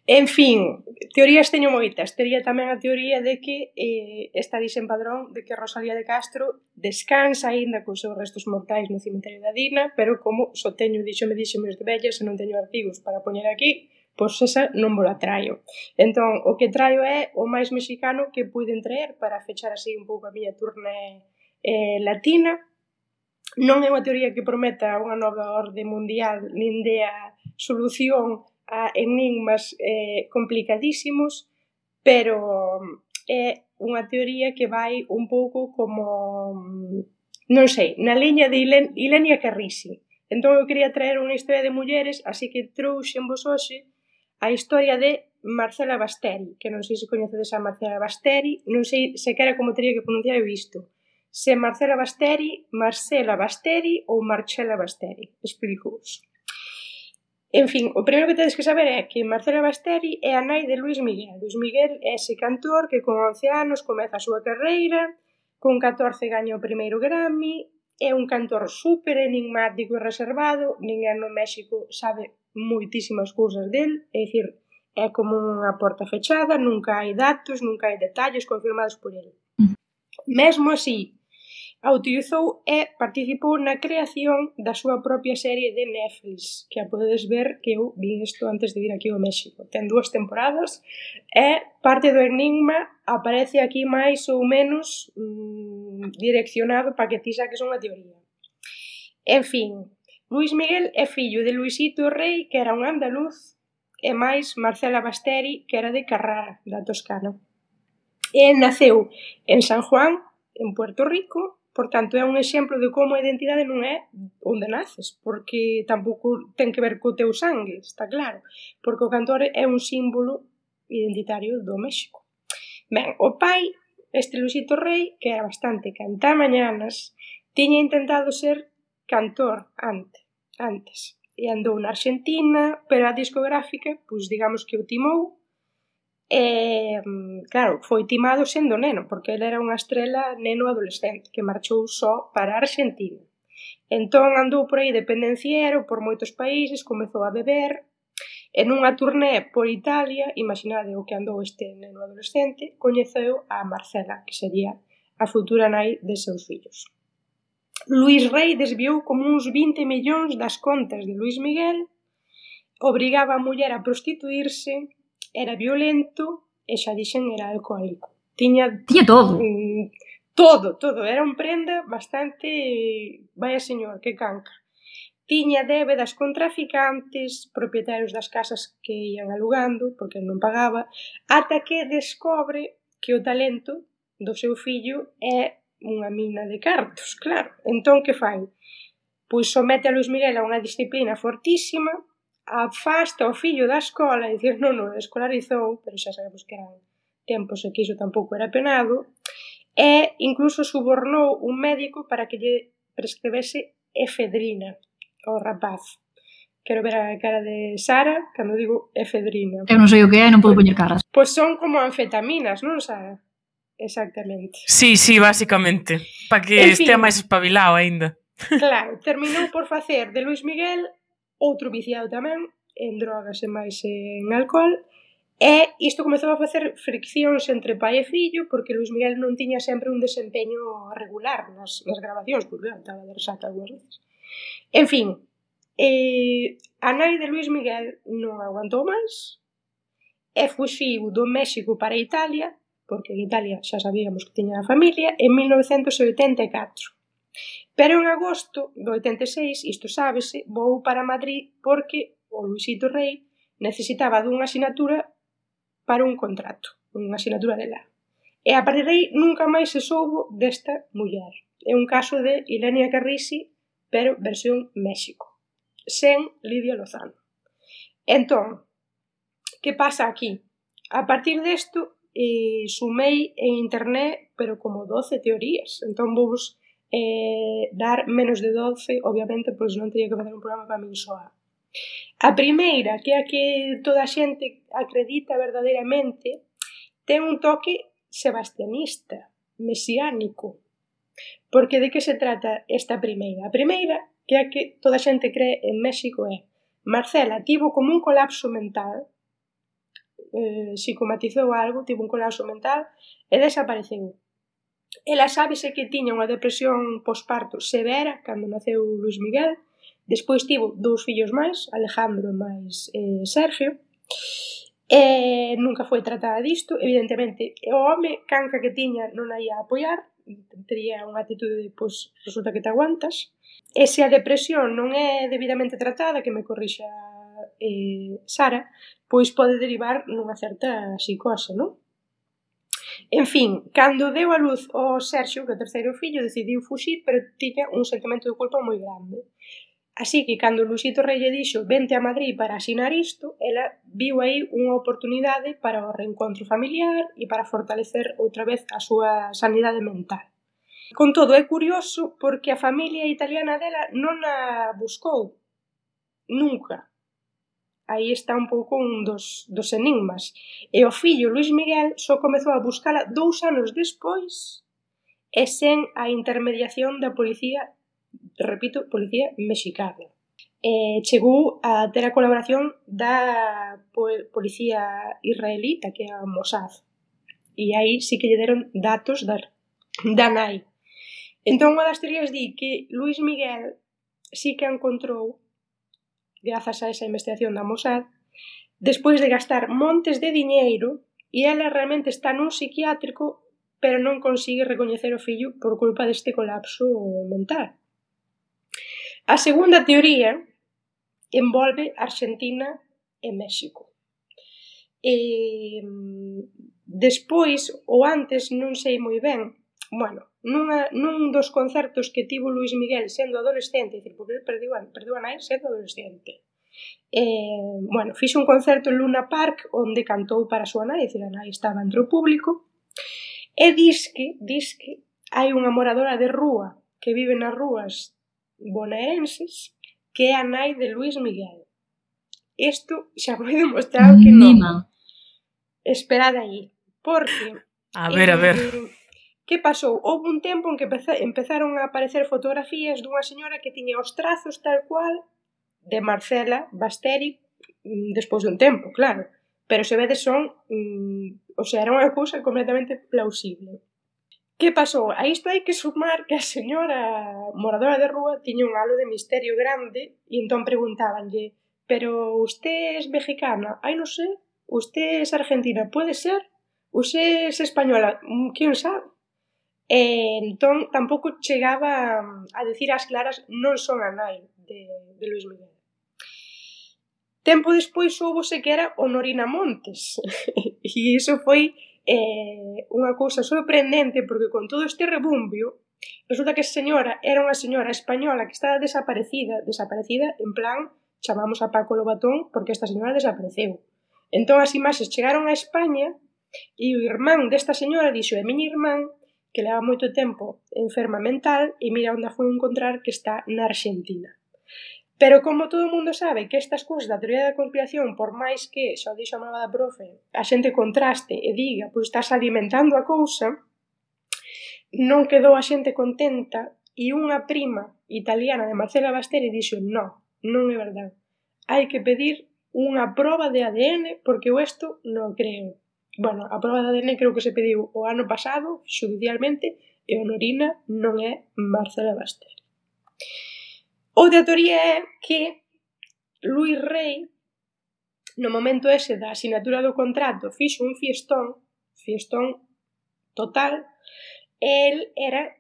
En fin, teorías teño moitas. Tería tamén a teoría de que está dixen Padrón de que Rosalía de Castro descansa aínda cos seus restos mortais no cemiterio da Dina, pero como só teño díxome de vellas e non teño artigos para poñer aquí, pois esa non vos la traio. Entón, o que traio é o máis mexicano que puiden traer para fechar así un pouco a miña turné latina. Non é unha teoría que prometa unha nova orde mundial nin dea solución a enigmas complicadísimos, pero é unha teoría que vai un pouco como, non sei, na liña de Ilenia Carrisi. Entón eu quería traer unha historia de mulleres, así que trouxenvos hoxe a historia de Marcela Basteri, que non sei se coñecedes a Marcela Basteri, non sei sequera como teria que pronunciar isto. Se Marcela Basteri ou Marcela Basteri. Explico-vos. En fin, o primeiro que tedes que saber é que Marcela Basteri é a nai de Luis Miguel. Luis Miguel é ese cantor que con 11 anos comeza a súa carreira, con 14 gaña o primeiro Grammy, é un cantor super enigmático e reservado, ninguén no México sabe moitísimas cousas del, é dicir, é como unha porta fechada, nunca hai datos, nunca hai detalles confirmados por el. Mesmo así, a utilizou e participou na creación da súa propia serie de Netflix, que a podedes ver que eu vi isto antes de vir aquí ao México. Ten 2 temporadas e parte do enigma aparece aquí máis ou menos direccionado para que ti saques unha teoría. En fin, Luis Miguel é fillo de Luisito Rei, que era un andaluz, e máis Marcela Basteri, que era de Carrara, da Toscana. E naceu en San Juan, en Puerto Rico. Por tanto, é un exemplo de como a identidade non é onde naces, porque tampouco ten que ver co teu sangue, está claro, porque o cantor é un símbolo identitario do México. Ben, o pai, este Luisito Rei, que era bastante cantamañanas, tiña intentado ser cantor antes, e andou na Argentina, pero a discográfica, pois digamos que o timou. Claro, foi timado sendo neno, porque ele era unha estrela neno adolescente que marchou só para a Argentina. Entón andou por aí de pendenciero por moitos países, comezou a beber, e nunha turné por Italia, imaginade o que andou este neno adolescente, coñeceu a Marcela, que sería a futura nai de seus fillos. Luís Rei desviou como uns 20 millóns das contas de Luís Miguel, obrigaba a muller a prostituirse, era violento e xa dixen era alcohólico. Tiña todo. Todo. Era un prenda bastante... Vaya señor, que canca. Tiña débedas con traficantes, propietarios das casas que ian alugando, porque non pagaba, ata que descobre que o talento do seu fillo é unha mina de cartos, claro. Entón, que fai? Pois somete a Luís Miguel a unha disciplina fortísima, afasta o fillo da escola, e dicir, non, escolarizou, pero xa sabemos que eran tempos e que iso tampouco era penado, e incluso subornou un médico para que lle prescribese efedrina ao rapaz. Quero ver a cara de Sara cando digo efedrina. Eu non sei o que é, non podo poñer caras. Pois son como anfetaminas, non, Sara? Exactamente. Sí, basicamente. Para que estea máis espabilado aínda. Claro, terminou por facer de Luís Miguel outro viciado tamén en drogas e máis en alcohol, e isto comezou a facer friccións entre pai e fillo, porque Luís Miguel non tiña sempre un desempeño regular nas grabacións, porque estaba de resaca algunhas veces. En fin, a nai de Luís Miguel non aguantou máis e fuxiu do México para Italia, porque en Italia xa sabíamos que tiña a familia, en 1984. Pero en agosto do 86, isto sábese, vou para Madrid porque o Luisito Rei necesitaba dunha asinatura para un contrato, unha asinatura de lá. E a partir de aí nunca máis se soubo desta muller. É un caso de Ilenia Carrisi, pero versión México, sen Lidia Lozano. Entón, que pasa aquí? A partir desto, sumei en internet, pero como 12 teorías. Entón vos dar menos de 12, obviamente, pois non teria que facer un programa para min soa. A primeira, que é a que toda a xente acredita verdadeiramente, ten un toque sebastianista, mesiánico. Porque de que se trata esta primeira? A primeira, que é a que toda a xente cree en México, é Marcela tivo como un colapso mental, psicomatizou algo, tivo un colapso mental e desapareceu. Ela sábese que tiña unha depresión posparto severa cando naceu Luís Miguel. Despois tivo 2 fillos máis, Alejandro e máis Sergio, e nunca foi tratada disto. Evidentemente, o home canca que tiña non a ia apoiar, tería unha actitude de, pois, resulta que te aguantas. E se a depresión non é debidamente tratada, que me corrixa Sara, pois pode derivar nunha certa psicose, non? En fin, cando deu a luz ao Sergio, que é o terceiro fillo, decidiu fuxir, pero tiña un sentimento de culpa moi grande. Así que, cando Luisito Rei lle dixo vente a Madrid para asinar isto, ela viu aí unha oportunidade para o reencontro familiar e para fortalecer outra vez a súa sanidade mental. Con todo, é curioso porque a familia italiana dela non a buscou. Nunca. Aí está un pouco un dos enigmas. E o fillo Luís Miguel só comezou a buscala 2 anos despois e sen a intermediación da policía, repito, policía mexicana. Chegou a ter a colaboración da policía israelita, que é a Mossad. E aí sí que lle deron datos da nai. Entón, unha das teorías di que Luís Miguel sí que encontrou, grazas a esa investigación da Mossad, despois de gastar montes de diñeiro, e ela realmente está nun psiquiátrico, pero non consigue recoñecer o fillo por culpa deste colapso mental. A segunda teoría envolve Argentina e México. Despois, ou antes, non sei moi ben, nun dos concertos que tivo Luís Miguel sendo adolescente, porque perdeu a nai sendo adolescente, fixo un concerto en Luna Park onde cantou para a súa nai, a nai estaba entre o público, e disque hai unha moradora de rúa que vive nas rúas bonaerenses que é a nai de Luís Miguel. Isto xa foi demostrado que non. Esperad aí, porque... A ver. Que pasou? Houve un tempo en que empezaron a aparecer fotografías dunha señora que tiña os trazos tal cual de Marcela Basteri, despois dun tempo, claro. Pero se vedes son... era unha cousa completamente plausible. Que pasou? A isto hai que sumar que a señora moradora de rúa tiña un halo de misterio grande e entón preguntábanlle: pero usted es mexicana? Ai, non sei. Usted es argentina? Puede ser. Usted es española? Quién sabe? Entón tampouco chegaba a decir ás claras non son a nai de Luis Miguel. Tempo despois soubose que era Honorina Montes e iso foi unha cousa sorprendente porque con todo este rebumbio resulta que a señora era unha señora española que estaba desaparecida en plan chamamos a Paco Lobatón porque esta señora desapareceu. Entón as imaxes chegaron a España e o irmán desta señora dixo é miña irmán que leva moito tempo enferma mental e mira onde a foi encontrar que está na Argentina. Pero como todo o mundo sabe que estas cousas da teoría da conspiración, por máis que, xa o dixo a malvada profe, a xente contraste e diga, pois estás alimentando a cousa, non quedou a xente contenta e unha prima italiana de Marcela Basteri dixo non é verdade. Hai que pedir unha proba de ADN porque eu isto non creo. Bueno, a proba de ADN creo que se pediu o ano pasado, xudicialmente, e Honorina non é Marcela Basteri. Outra teoría é que Luis Rey, no momento ese da asinatura do contrato, fixo un fiestón total, e el era,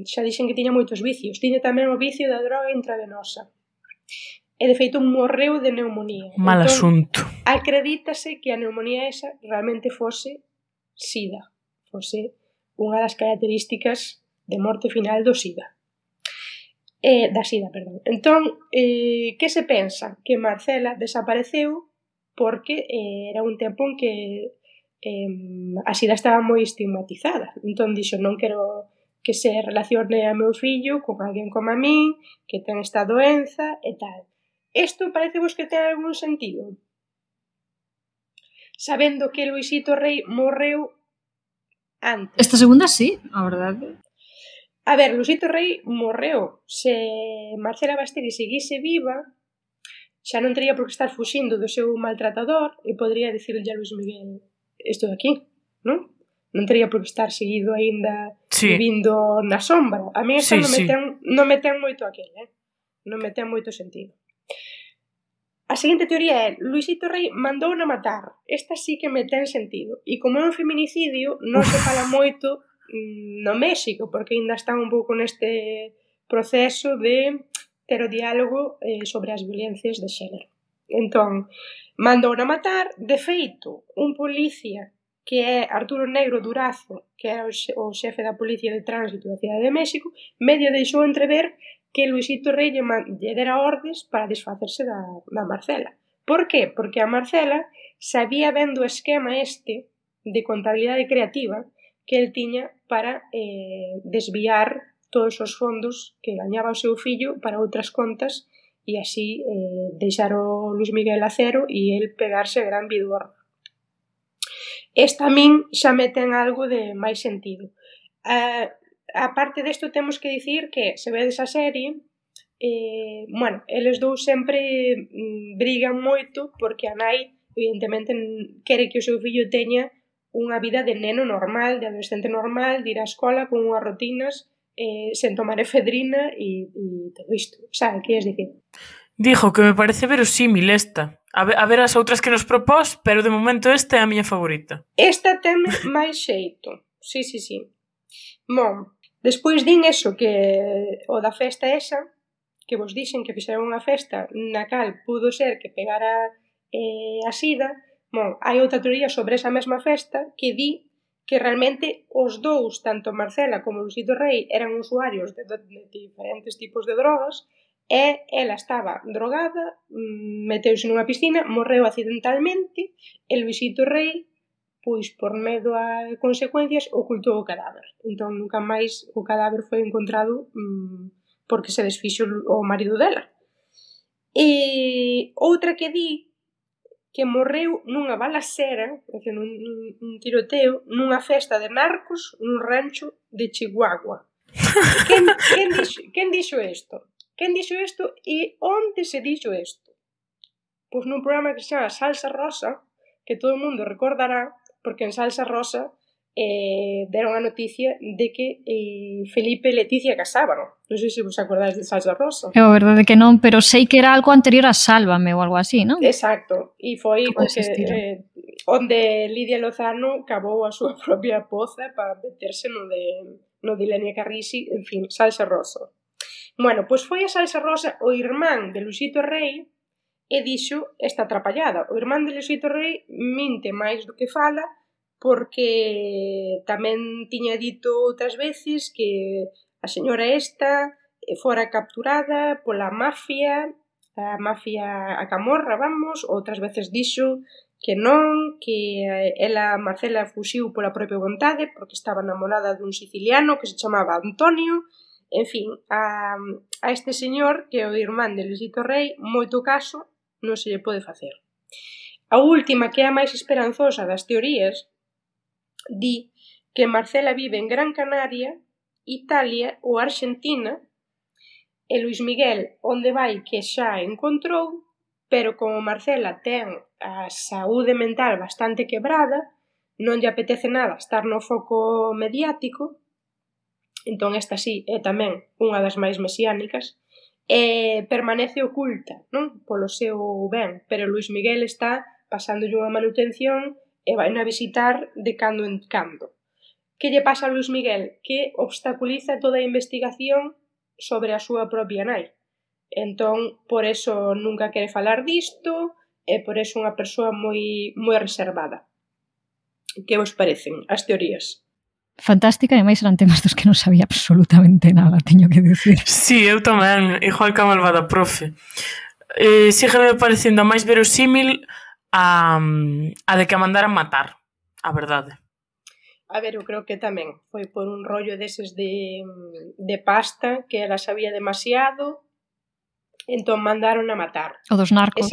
xa dixen que tiña moitos vicios, tiña tamén o vicio da droga intravenosa. E de feito morreu de neumonía. Mal asunto. Acredítase que a neumonía esa realmente fose SIDA, fose unha das características de morte final do SIDA. Da SIDA, perdón. Entón, que se pensa? Que Marcela desapareceu porque era un tempo en que a SIDA estaba moi estigmatizada. Entón dixo, non quero que se relacione a meu fillo con alguén como a min, que ten esta doenza e tal. Isto parecevos que ten algún sentido? Sabendo que Luisito Rey morreu antes. Esta segunda sí, a verdade. A ver, Luisito Rey morreu. Se Marcela Basteri seguise viva, xa non teria por que estar fuxindo do seu maltratador e podría dicirlle a Luis Miguel isto de aquí, non? Non teria por que estar seguido aínda vivindo na sombra. A mí esta non me ten moito aquel, non me ten moito sentido. A seguinte teoría é Luisito Rey mandou na matar. Esta sí que me ten sentido. E como é un feminicidio, non se fala moito no México, porque ainda están un pouco neste proceso de ter o diálogo sobre as violencias de xénero. Entón, mandou na matar, de feito, un policía que é Arturo Negro Durazo, que era o xefe da Policía de Tránsito da Cidade de México, medio deixou entrever que Luisito Rey lle dera ordes para desfacerse da Marcela. Por qué? Porque a Marcela sabía ben do esquema este de contabilidade creativa que el tiña para desviar todos os fondos que gañaba o seu fillo para outras contas e así deixar o Luis Miguel a cero e el pegarse a gran vidor. Esta a min xa me ten algo de máis sentido. A parte desto temos que dicir que se vedes a serie, eles dous sempre brigan moito porque a nai evidentemente quere que o seu fillo teña unha vida de neno normal, de adolescente normal, de ir á escola con unhas rutinas, sen tomar efedrina e todo isto. Sabe, que es dicir? Dijo que me parece verosímil esta. A ver as outras que nos propós, pero de momento esta é a miña favorita. Esta ten máis xeito. Sí. Bon, despois din eso, que o da festa esa, que vos dixen que fixeron unha festa na cal pudo ser que pegara a SIDA. Bon, hai outra teoría sobre esa mesma festa que di que realmente os dous, tanto Marcela como Luisito Rey, eran usuarios de diferentes tipos de drogas e ela estaba drogada, meteuse nunha piscina, morreu accidentalmente e Luisito Rey, pois por medo a consecuencias, ocultou o cadáver. Entón nunca máis o cadáver foi encontrado porque se desfixo o marido dela. E outra que di que morreu nunha balacera, nun tiroteo, nunha festa de narcos nun rancho de Chihuahua. Quen dixo isto? Quen dixo isto e onde se dixo isto? Pois nun programa que se chama Salsa Rosa, que todo o mundo recordará, porque en Salsa Rosa deron a noticia de que Felipe e Leticia casaban. Non sei se vos acordáis de Salsa Rosa. É a verdade que non, pero sei que era algo anterior a Sálvame ou algo así, non? Exacto, e foi Como o que, onde Lidia Lozano cavou a súa propia poza para meterse no de Ilenia Carrisi, en fin, Salsa Rosa. Bueno, pois foi a Salsa Rosa o irmán de Luisito Rei e dixo esta atrapallada. O irmán de Luisito Rei minte máis do que fala porque tamén tiña dito outras veces que a señora esta fora capturada pola mafia, a camorra, vamos, outras veces dixo que non, que ela, Marcela, fuxiu pola propia vontade porque estaba namorada dun siciliano que se chamaba Antonio. En fin, a este señor, que é o irmán de Luisito Rei, moito caso non se lle pode facer. A última, que é a máis esperanzosa das teorías, di que Marcela vive en Gran Canaria, Italia ou Argentina, e Luis Miguel onde vai que xa encontrou, pero como Marcela ten a saúde mental bastante quebrada, non lle apetece nada estar no foco mediático, entón esta sí é tamén unha das máis mesiánicas, permanece oculta, non? Polo seu ben, pero Luis Miguel está pasándolle unha manutención e vai a visitar de cando en cando. Que lle pasa a Luis Miguel? Que obstaculiza toda a investigación sobre a súa propia nai. Entón, por eso nunca quere falar disto e por eso unha persoa moi reservada. Que vos parecen as teorías? Fantástica, e máis eran temas dos que non sabía absolutamente nada, teño que dicir. Sí, eu tamén, igual que a malvada profe. Sígueme parecendo a máis verosímil a de que a mandaran matar, a verdade. A ver, eu creo que tamén foi por un rollo deses de pasta que ela sabía demasiado, entón mandaron a matar. O dos narcos. E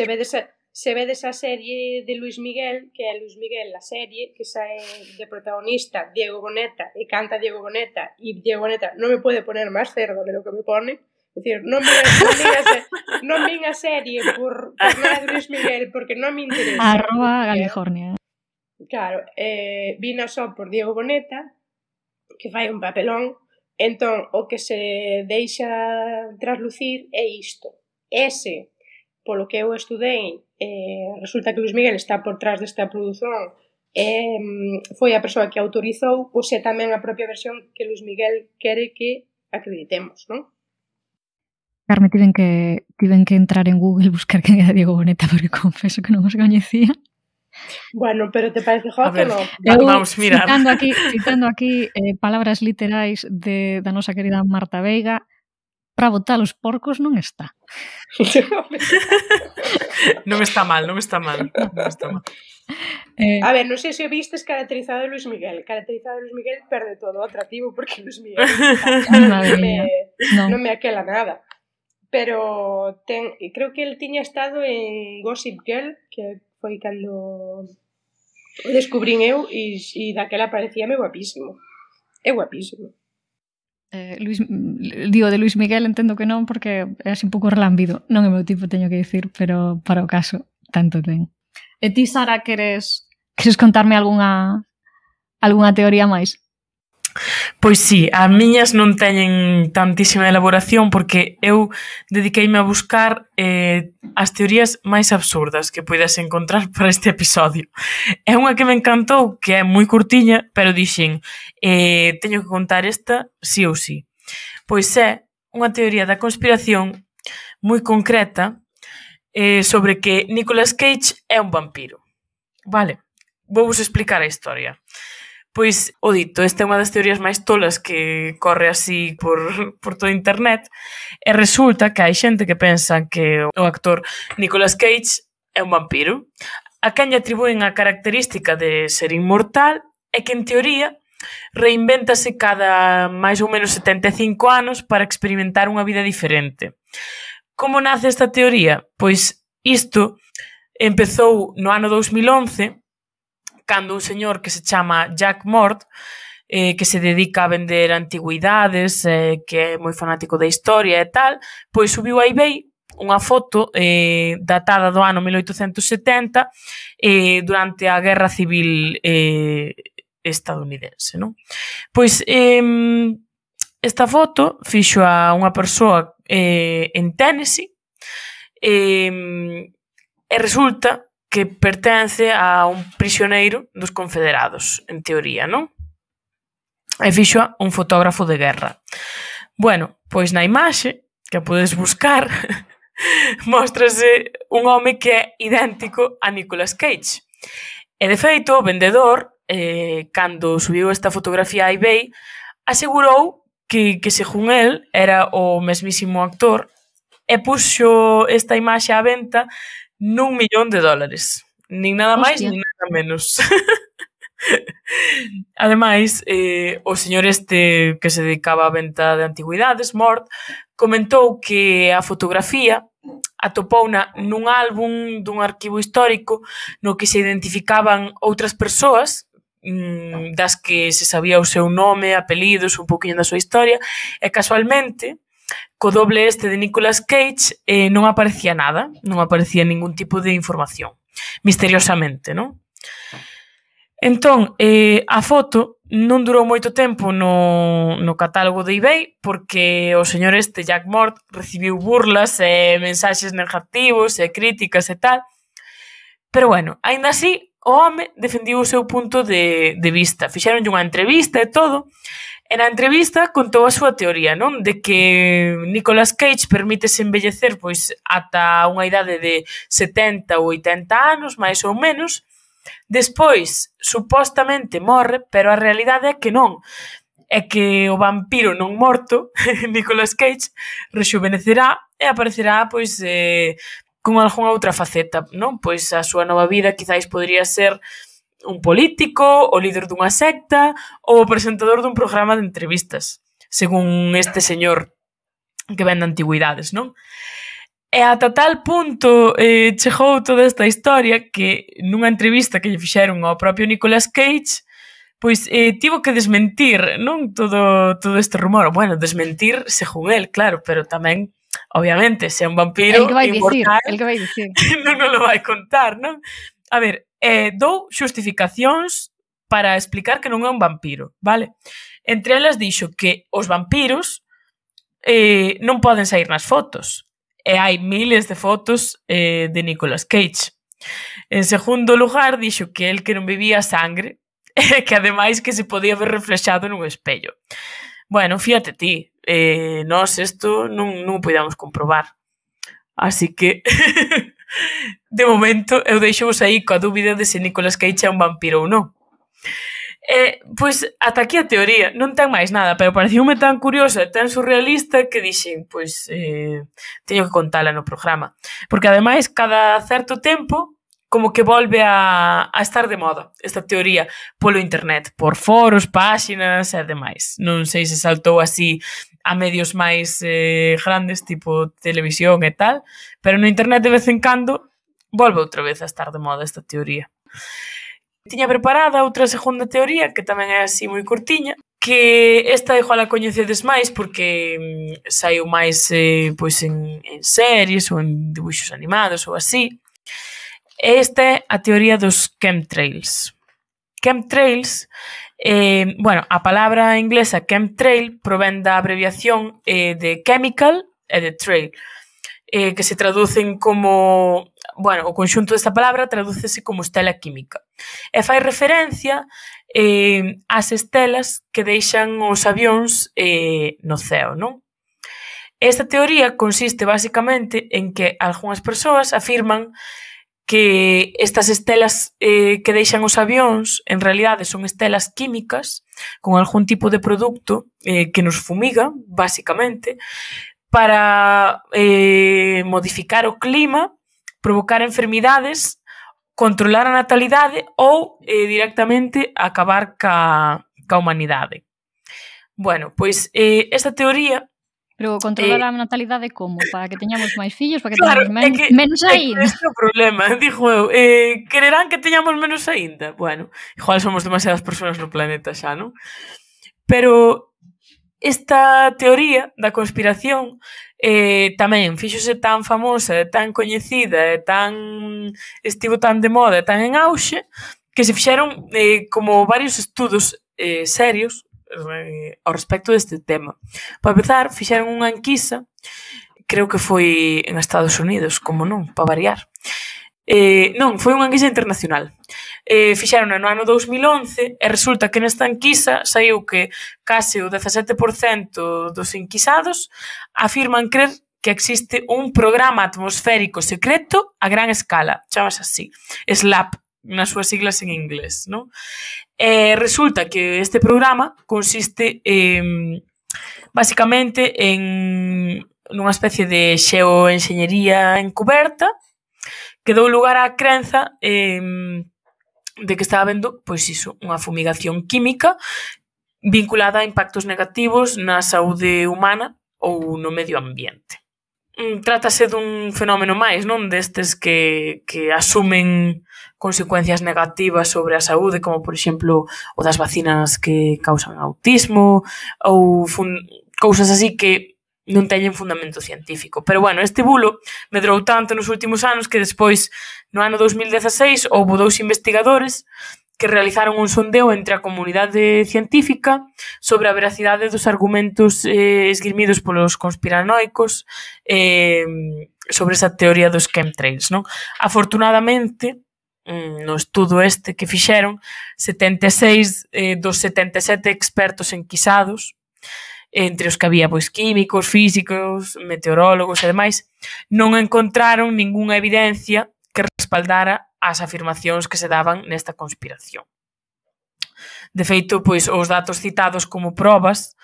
se vedes a serie de Luis Miguel, que é Luis Miguel a serie, que sae de protagonista Diego Boneta e canta Diego Boneta, e Diego Boneta non me pode poner máis cerdo de lo que me pone. É dicir, non vin a serie por nada de Luis Miguel porque non me interesa. @California. Claro, vina só por Diego Boneta, que fai un papelón, entón o que se deixa traslucir é isto. Ese, polo que eu estudei, resulta que Luis Miguel está por trás desta produción, foi a persoa que autorizou, pois é tamén a propia versión que Luis Miguel quere que acreditemos, non? Carme, tiven que entrar en Google e buscar quen era Diego Boneta porque confeso que non os coñecía. Bueno, pero te parece hot ou non? Vamos mirar. Citando aquí palabras literais da nosa querida Marta Veiga, para botar os porcos non está. Non está mal. A ver, non sei se vistes Caracterizado de Luis Miguel. Caracterizado de Luis Miguel perde todo o atractivo porque Luis Miguel non me aquela nada. Pero creo que el tiña estado en Gossip Girl, que foi cando o descubrín eu e daquela parecíame guapísimo. É guapísimo. Digo, de Luis Miguel entendo que non porque é así un pouco relámbido. Non é meu tipo, teño que dicir, pero para o caso tanto ten. E ti, Sara, queres contarme algunha teoría máis? Pois sí, as miñas non teñen tantísima elaboración porque eu dediqueime a buscar as teorías máis absurdas que poidas encontrar para este episodio. É unha que me encantou, que é moi curtiña, pero dixen, teño que contar esta sí ou sí. Pois é unha teoría da conspiración moi concreta sobre que Nicolas Cage é un vampiro. Vale, vou vos explicar a historia. Pois, o dito, esta é unha das teorías máis tolas que corre así por toda internet e resulta que hai xente que pensa que o actor Nicolas Cage é un vampiro, a quen lle atribúen a característica de ser inmortal e que en teoría reinvéntase cada máis ou menos 75 anos para experimentar unha vida diferente. Como nace esta teoría? Pois isto empezou no ano 2011 cando un señor que se chama Jack Mord, que se dedica a vender antigüidades, que é moi fanático da historia e tal, pois subiu a eBay unha foto datada do ano 1870 durante a Guerra Civil estadounidense, non? Pois esta foto fixo a unha persoa en Tennessee e resulta que pertence a un prisioneiro dos confederados, en teoría, non? E fixo un fotógrafo de guerra. Bueno, pois na imaxe, que a podes buscar, móstrase un home que é idéntico a Nicolas Cage. E, de feito, o vendedor, cando subiu esta fotografía a eBay, asegurou que según el, era o mesmísimo actor e puxo esta imaxe á venta $1.000.000. Nin nada máis, nin nada menos. Ademais, o señor este que se dedicaba á venta de antigüidades, Mort, comentou que a fotografía atopouna nun álbum dun arquivo histórico no que se identificaban outras persoas das que se sabía o seu nome, apelidos, un pouquinho da súa historia, e casualmente, co doble este de Nicolas Cage non aparecía nada, non aparecía ningún tipo de información, misteriosamente, non? Entón, a foto non durou moito tempo no catálogo de eBay porque o señor este, Jack Mort, recibiu burlas e mensaxes negativos e críticas e tal, pero bueno, aínda así, o home defendiu o seu punto de vista. Fixeronlle unha entrevista e todo, e na entrevista contou a súa teoría, non? De que Nicolas Cage permítese envellecer pois ata unha idade de 70 ou 80 anos, máis ou menos. Despois, supostamente morre, pero a realidade é que non. É que o vampiro non morto, Nicolas Cage, rexuvenecerá e aparecerá pois con algunha outra faceta, non? Pois a súa nova vida quizáis podría ser un político, o líder dunha secta ou o presentador dun programa de entrevistas, según este señor que vende antigüidades, non? E ata tal punto chegou toda esta historia que nunha entrevista que lle fixeron ao propio Nicolas Cage, pois tivo que desmentir, non? Todo este rumor. Bueno, desmentir según el, claro, pero tamén obviamente, se é un vampiro inmortal, el que vai dicir. non lo vai contar, non? A ver, dou xustificacións para explicar que non é un vampiro, vale? Entre elas dixo que os vampiros non poden sair nas fotos, e hai miles de fotos de Nicolas Cage. En segundo lugar, dixo que el que non bebía sangre, e que ademais que se podía ver reflexado nun espello. Bueno, fíjate ti, nós isto non o podíamos comprobar. Así que, de momento, eu deixo-vos aí coa dúbida de se Nicolas Cage é un vampiro ou non. Pois, ata aquí a teoría, non ten máis nada, pero pareciume tan curiosa e tan surrealista que dixen, pois, teño que contala no programa. Porque, ademais, cada certo tempo, como que volve a estar de moda esta teoría polo internet, por foros, páxinas e demais. Non sei se saltou así a medios máis grandes, tipo televisión e tal, pero no internet de vez en cando volve outra vez a estar de moda esta teoría. Tiña preparada outra segunda teoría, que tamén é así moi curtiña, que esta igual a coñecedes máis porque saiu máis pois en series ou en dibuixos animados ou así. Esta é a teoría dos chemtrails. Chemtrails, bueno, a palabra inglesa chemtrail provén da abreviación de chemical e de trail, que se traducen como, bueno, o conxunto desta palabra tradúcese como estela química. E fai referencia ás estelas que deixan os avións no ceo, non? Esta teoría consiste basicamente en que algunhas persoas afirman que estas estelas que deixan os avións en realidade son estelas químicas con algún tipo de produto que nos fumiga, basicamente, para modificar o clima, provocar enfermidades, controlar a natalidade ou directamente acabar ca humanidade. Bueno, pois esta teoría... Pero controlar a natalidade como? Para que teñamos máis fillos? Para que teñamos menos aínda? Este é o problema, dixo eu. Quererán que teñamos menos aínda? Bueno, igual somos demasiadas persoas no planeta xa, non? Pero esta teoría da conspiración tamén fíxose tan famosa, tan coñecida, estivo tan de moda, tan en auxe, que se fixeron como varios estudos serios ao respecto deste tema. Para empezar, fixeron unha enquisa, creo que foi en Estados Unidos, como non, para variar. Non, foi unha enquisa internacional. Fixeron no ano 2011 e resulta que nesta enquisa saiu que case o 17% dos enquisados afirman crer que existe un programa atmosférico secreto a gran escala, chamase así, SLAP, nas súas siglas en inglés, non? Resulta que este programa consiste basicamente nunha especie de xeoenxeñería encuberta que dou lugar á crenza de que está habendo, pois iso, unha fumigación química vinculada a impactos negativos na saúde humana ou no medio ambiente. Trátase dun fenómeno máis, non? Destes que asumen consecuencias negativas sobre a saúde, como, por exemplo, o das vacinas que causan autismo ou cousas así que non teñen fundamento científico. Pero, bueno, este bulo medrou tanto nos últimos anos que despois, no ano 2016, houbo 2 investigadores que realizaron un sondeo entre a comunidade científica sobre a veracidade dos argumentos esgrimidos polos conspiranoicos sobre esa teoría dos chemtrails, non? Afortunadamente, no estudo este que fixeron, 76 dos 77 expertos enquisados, entre os que había pois químicos, físicos, meteorólogos e demais, non encontraron ningunha evidencia que respaldara as afirmacións que se daban nesta conspiración. De feito, pois, os datos citados como probas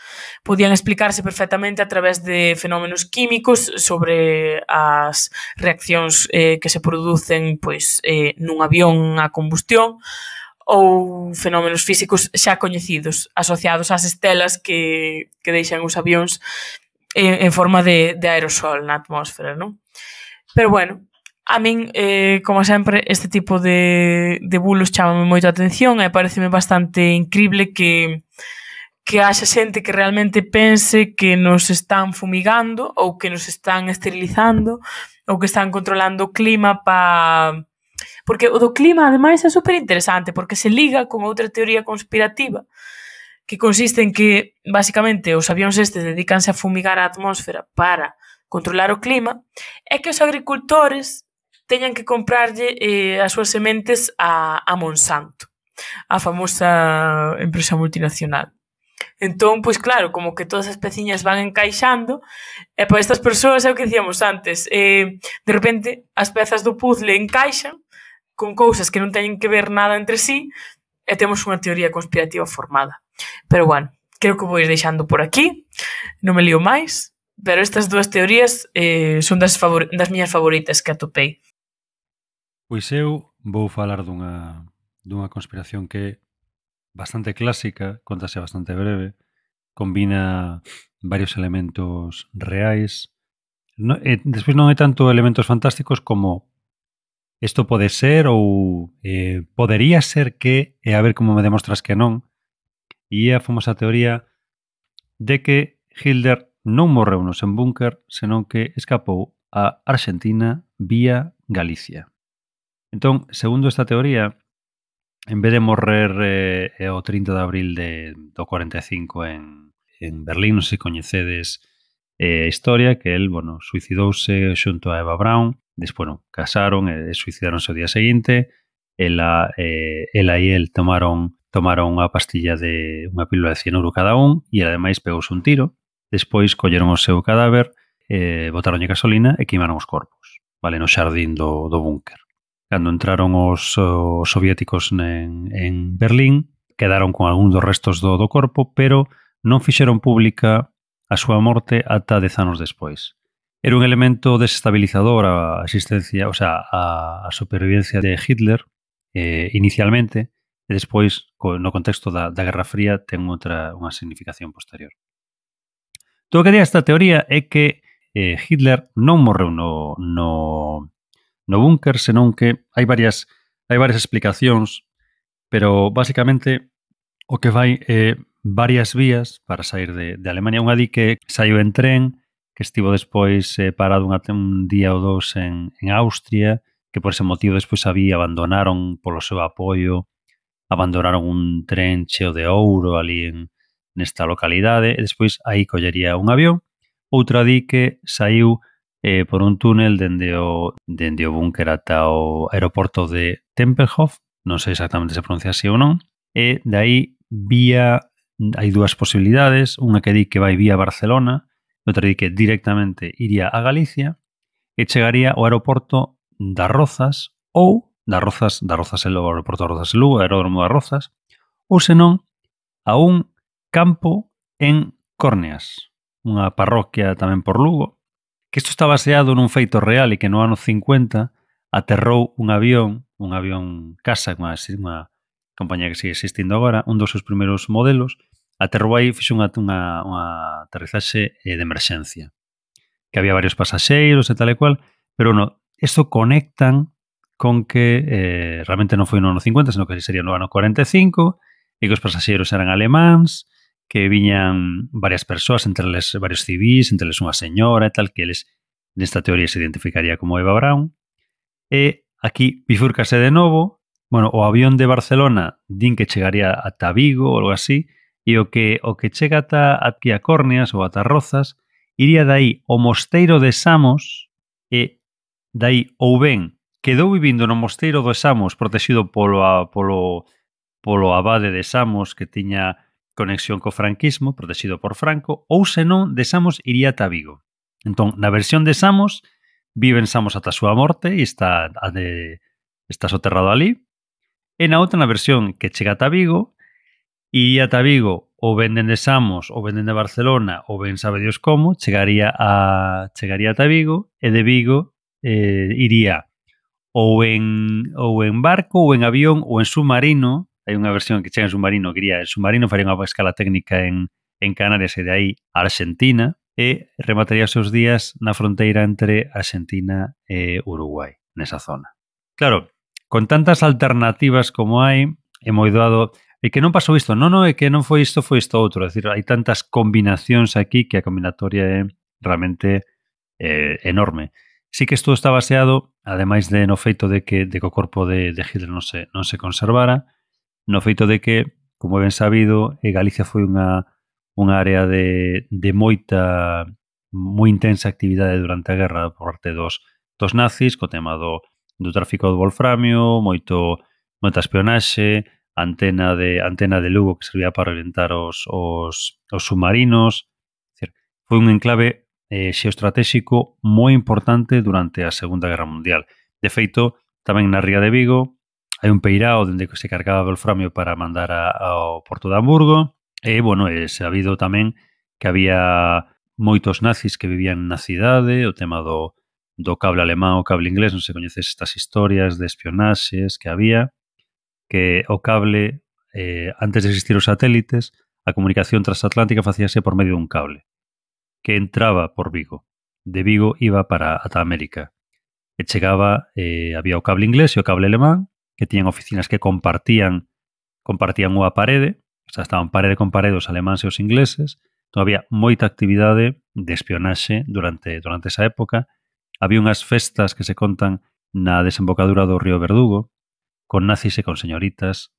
podían explicarse perfectamente a través de fenómenos químicos sobre as reaccións que se producen pois, nun avión a combustión ou fenómenos físicos xa coñecidos asociados ás estelas que deixan os avións en forma de aerosol na atmósfera, non? Pero, bueno, a min, como sempre, este tipo de bulos chamame moito a atención e pareceme bastante incrible que haxa xente que realmente pense que nos están fumigando ou que nos están esterilizando ou que están controlando o clima Porque o do clima, ademais, é super interesante porque se liga con outra teoría conspirativa que consiste en que, basicamente, os avións estes dedícanse a fumigar a atmósfera para controlar o clima e que os agricultores teñan que comprarlle as súas sementes a Monsanto, a famosa empresa multinacional. Entón, pois claro, como que todas as peciñas van encaixando e para estas persoas é o que dicíamos antes, de repente as pezas do puzzle encaixan con cousas que non teñen que ver nada entre sí e temos unha teoría conspirativa formada. Pero bueno, creo que vou ir deixando por aquí, non me lío máis, pero estas 2 teorías son das miñas favoritas que atopei. Pois eu vou falar dunha conspiración que é bastante clásica, contase bastante breve, combina varios elementos reais. Despois non hai tanto elementos fantásticos como isto pode ser ou podería ser que, e a ver como me demostras que non, e é a famosa teoría de que Hitler non morreu no seu búnker, senón que escapou a Argentina vía Galicia. Entón, segundo esta teoría, en vez de morrer o 30 de abril do 45 en Berlín, non sei se coñecedes a historia, que el, suicidouse xunto a Eva Braun, despois, casaron e suicidaronse o día seguinte, ela e el tomaron unha pastilla unha pílula de cianuro cada un e ademais pegouse un tiro, despois colleron o seu cadáver, botaronlle gasolina e queimaron os corpos, vale, no xardín do búnker. Cando entraron os soviéticos en Berlín, quedaron con algún dos restos do corpo, pero non fixeron pública a súa morte ata 10 anos despois. Era un elemento desestabilizador a existencia, o sea, a supervivencia de Hitler inicialmente, e despois, no contexto da Guerra Fría, ten unha significación posterior. Todo o que di esta teoría é que Hitler non morreu no búnker, senón que hai varias explicacións, pero basicamente o que vai é varias vías para sair de Alemania. Unha di que saiu en tren, que estivo despois parado un día ou 2 en Austria, que por ese motivo despois abandonaron polo seu apoio abandonaron un tren cheo de ouro ali nesta localidade, e despois aí collería un avión. Outra di que saiu por un túnel dende o búnker ata o aeroporto de Tempelhof, non sei exactamente se pronuncia así ou non, e dai hai dúas posibilidades, unha que di que vai vía Barcelona, outra di que directamente iría a Galicia e chegaría ao aeroporto das Rozas ou das Rozas e logo ao aeroporto das Rozas e Lugo, aeródromo das Rozas, ou senón a un campo en Córneas, unha parroquia tamén por Lugo, que isto está baseado nun feito real e que no ano 50 aterrou un avión casa, unha compañía que sigue existindo agora, un dos seus primeiros modelos, aterrou aí e fixo unha aterrizaxe de emerxencia. Que había varios pasaxeiros e tal e cual, pero isto conectan con que realmente non foi no ano 50, senón que sería no ano 45, e que os pasaxeiros eran alemáns, que viñan varias persoas, entre eles varios civís, entre eles unha señora e tal, que eles nesta teoría se identificaría como Eva Braun. E aquí bifúrcase de novo, o avión de Barcelona din que chegaría ata Vigo ou algo así, e o que chega ata aquí a Córneas ou ata Rozas iría dai ao Mosteiro de Samos e dai ou ben quedou vivindo no Mosteiro de Samos protegido polo abade de Samos que tiña conexión co franquismo, protegido por Franco, ou senón de Samos iría ata Vigo. Entón, na versión de Samos, vive en Samos ata a súa morte e está soterrado ali. E na outra, na versión que chega ata Vigo, iría ata Vigo ou venden de Samos ou venden de Barcelona ou ben sabe Dios como, chegaría ata Vigo e de Vigo iría ou en barco ou en avión ou en submarino. Hai unha versión que chega en submarino, que iría en submarino, faría unha escala técnica en Canarias e de aí a Argentina e remataría os seus días na fronteira entre Argentina e Uruguai, nesa zona. Claro, con tantas alternativas como hai, é moi doado. E que non pasou isto, é que non foi isto, foi isto outro. É dicir, hai tantas combinacións aquí que a combinatoria é realmente enorme. Sí que isto está baseado, ademais de no feito de que o corpo de Hitler non se conservara, no feito de que, como ben sabido, Galicia foi unha área de moita, moi intensa actividade durante a guerra por parte dos nazis, co tema do tráfico do wolframio, moita espionaxe, antena de Lugo que servía para orientar os submarinos. É dicir, foi un enclave xeoestratéxico moi importante durante a Segunda Guerra Mundial. De feito, tamén na ría de Vigo hai un peirao dende que se cargaba wolframio para mandar ao Porto de Hamburgo e, é sabido tamén que había moitos nazis que vivían na cidade, o tema do cable alemán, o cable inglés, non se coñeces estas historias de espionaxes que había, que o cable, antes de existir os satélites, a comunicación transatlántica facíase por medio dun cable que entraba por Vigo. De Vigo iba ata América. E chegaba, había o cable inglés e o cable alemán, que tiñan oficinas que compartían unha parede, o sea, estaban parede con parede os alemáns e os ingleses. Entón, había moita actividade de espionaxe durante esa época. Había unhas festas que se contan na desembocadura do río Verdugo, con nazis e con señoritas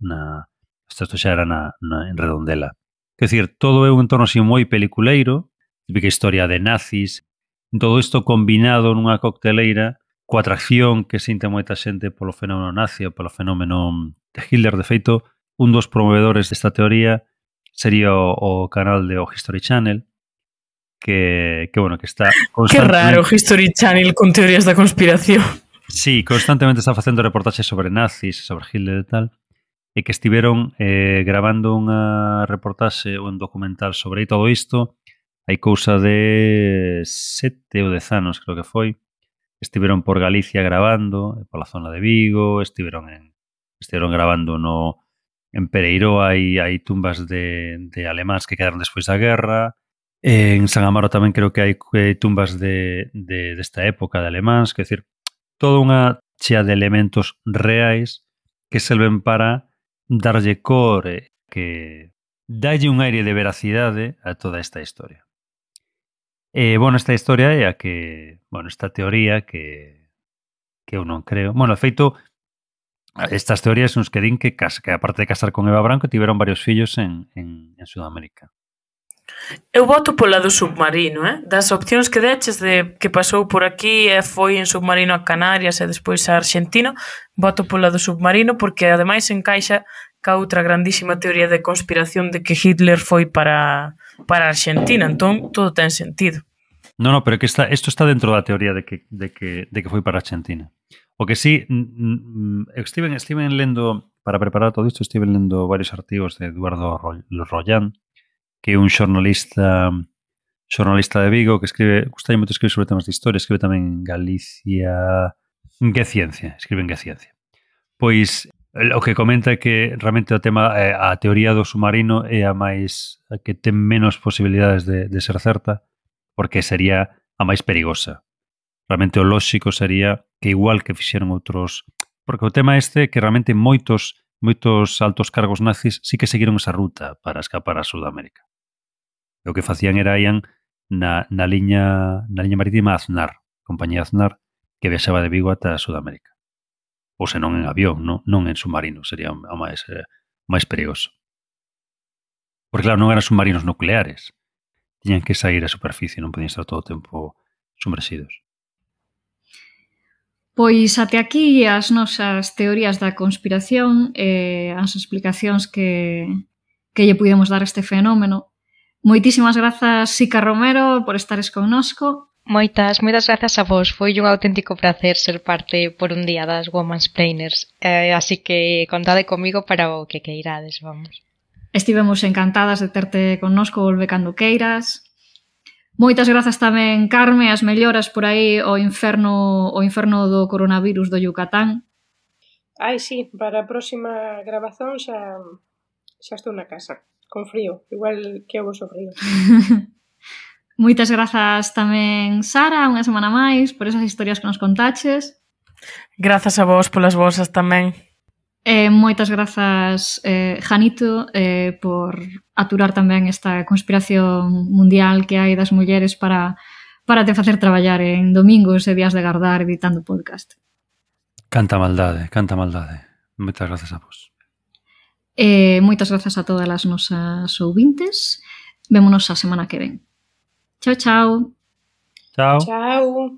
isto xa era en Redondela. Quer dicir, todo é un entorno así moi peliculeiro, típica historia de nazis, todo isto combinado nunha cocteleira coa atracción que sinte moita xente polo fenómeno nazi ou polo fenómeno de Hitler. De feito, un dos promovedores desta teoría sería o canal de o History Channel, que está constantemente... Que raro, History Channel con teorías da conspiración. Sí, constantemente está facendo reportaxes sobre nazis, sobre Hitler e tal, e que estiveron grabando unha reportaxe ou un documental sobre todo isto. Hai cousa de 7 ou 10 anos, creo que foi. Estiveron por Galicia grabando, pola zona de Vigo, estiveron grabando en Pereiró, hai tumbas de alemáns que quedaron despois da guerra. En San Amaro tamén creo que hai tumbas desta época de alemáns, quer decir, toda unha chea de elementos reais que serven para darlle cor que dalle un aire de veracidade a toda esta historia. Esta historia é a que, esta teoría que eu non creo. De feito, Estas teorías son os que din que aparte de casar con Eva Branco, tiveron varios fillos en Sudamérica. Eu voto pola do submarino, das opcións que deches de que pasou por aquí e foi en submarino a Canarias e despois a Argentina, voto pola do submarino porque ademais encaixa ca outra grandísima teoría de conspiración de que Hitler foi para Argentina, entón todo ten sentido. No, pero que isto está dentro da teoría de que foi para Argentina. O que sí, estiven lendo, para preparar todo isto, estiven lendo varios artigos de Eduardo Rollán, que é un xornalista de Vigo que escribe, gustalle moito escribir sobre temas de historia, escribe tamén en Galicia, escribe en Geciencia. Pois o que comenta é que realmente o tema, a teoría do submarino é a máis, a que ten menos posibilidades de ser certa, porque sería a máis perigosa. Realmente o lóxico sería que igual que fixeron outros, porque o tema este é que realmente moitos altos cargos nazis sí que seguiron esa ruta para escapar a Sudamérica. O que facían era ian na liña marítima Aznar, compañía Aznar, que viaxaba de Vigo ata Sudamérica. Ou senón en avión, non en submarino, sería o máis perigoso. Porque claro, non eran submarinos nucleares. Tiñan que sair á superficie, non podían estar todo o tempo submersidos. Pois até aquí as nosas teorías da conspiración e as explicacións que lle pudemos dar a este fenómeno. Moitísimas grazas, Sica Romero, por estares connosco. Moitas grazas a vos. Foi un auténtico placer ser parte por un día das Womansplainers. Así que contade comigo para o que queirades, vamos. Estivemos encantadas de terte connosco, volve cando queiras. Moitas grazas tamén, Carme, as melloras por aí o inferno do coronavirus do Yucatán. Ai, sí, para a próxima grabazón xa estou na casa, con frío, igual que o voso frío. Moitas grazas tamén, Sara, unha semana máis, por esas historias que nos contaches. Grazas a vos polas vosas tamén. Moitas grazas, Janito, por aturar tamén esta conspiración mundial que hai das mulleres para te facer traballar en domingos e días de gardar editando podcast. Canta maldade. Moitas grazas a vos. Moitas grazas a todas as nosas ouvintes. Vémonos a semana que ven. Chao, chao. Chao. Chao.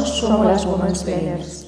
Somos las Womansplainers.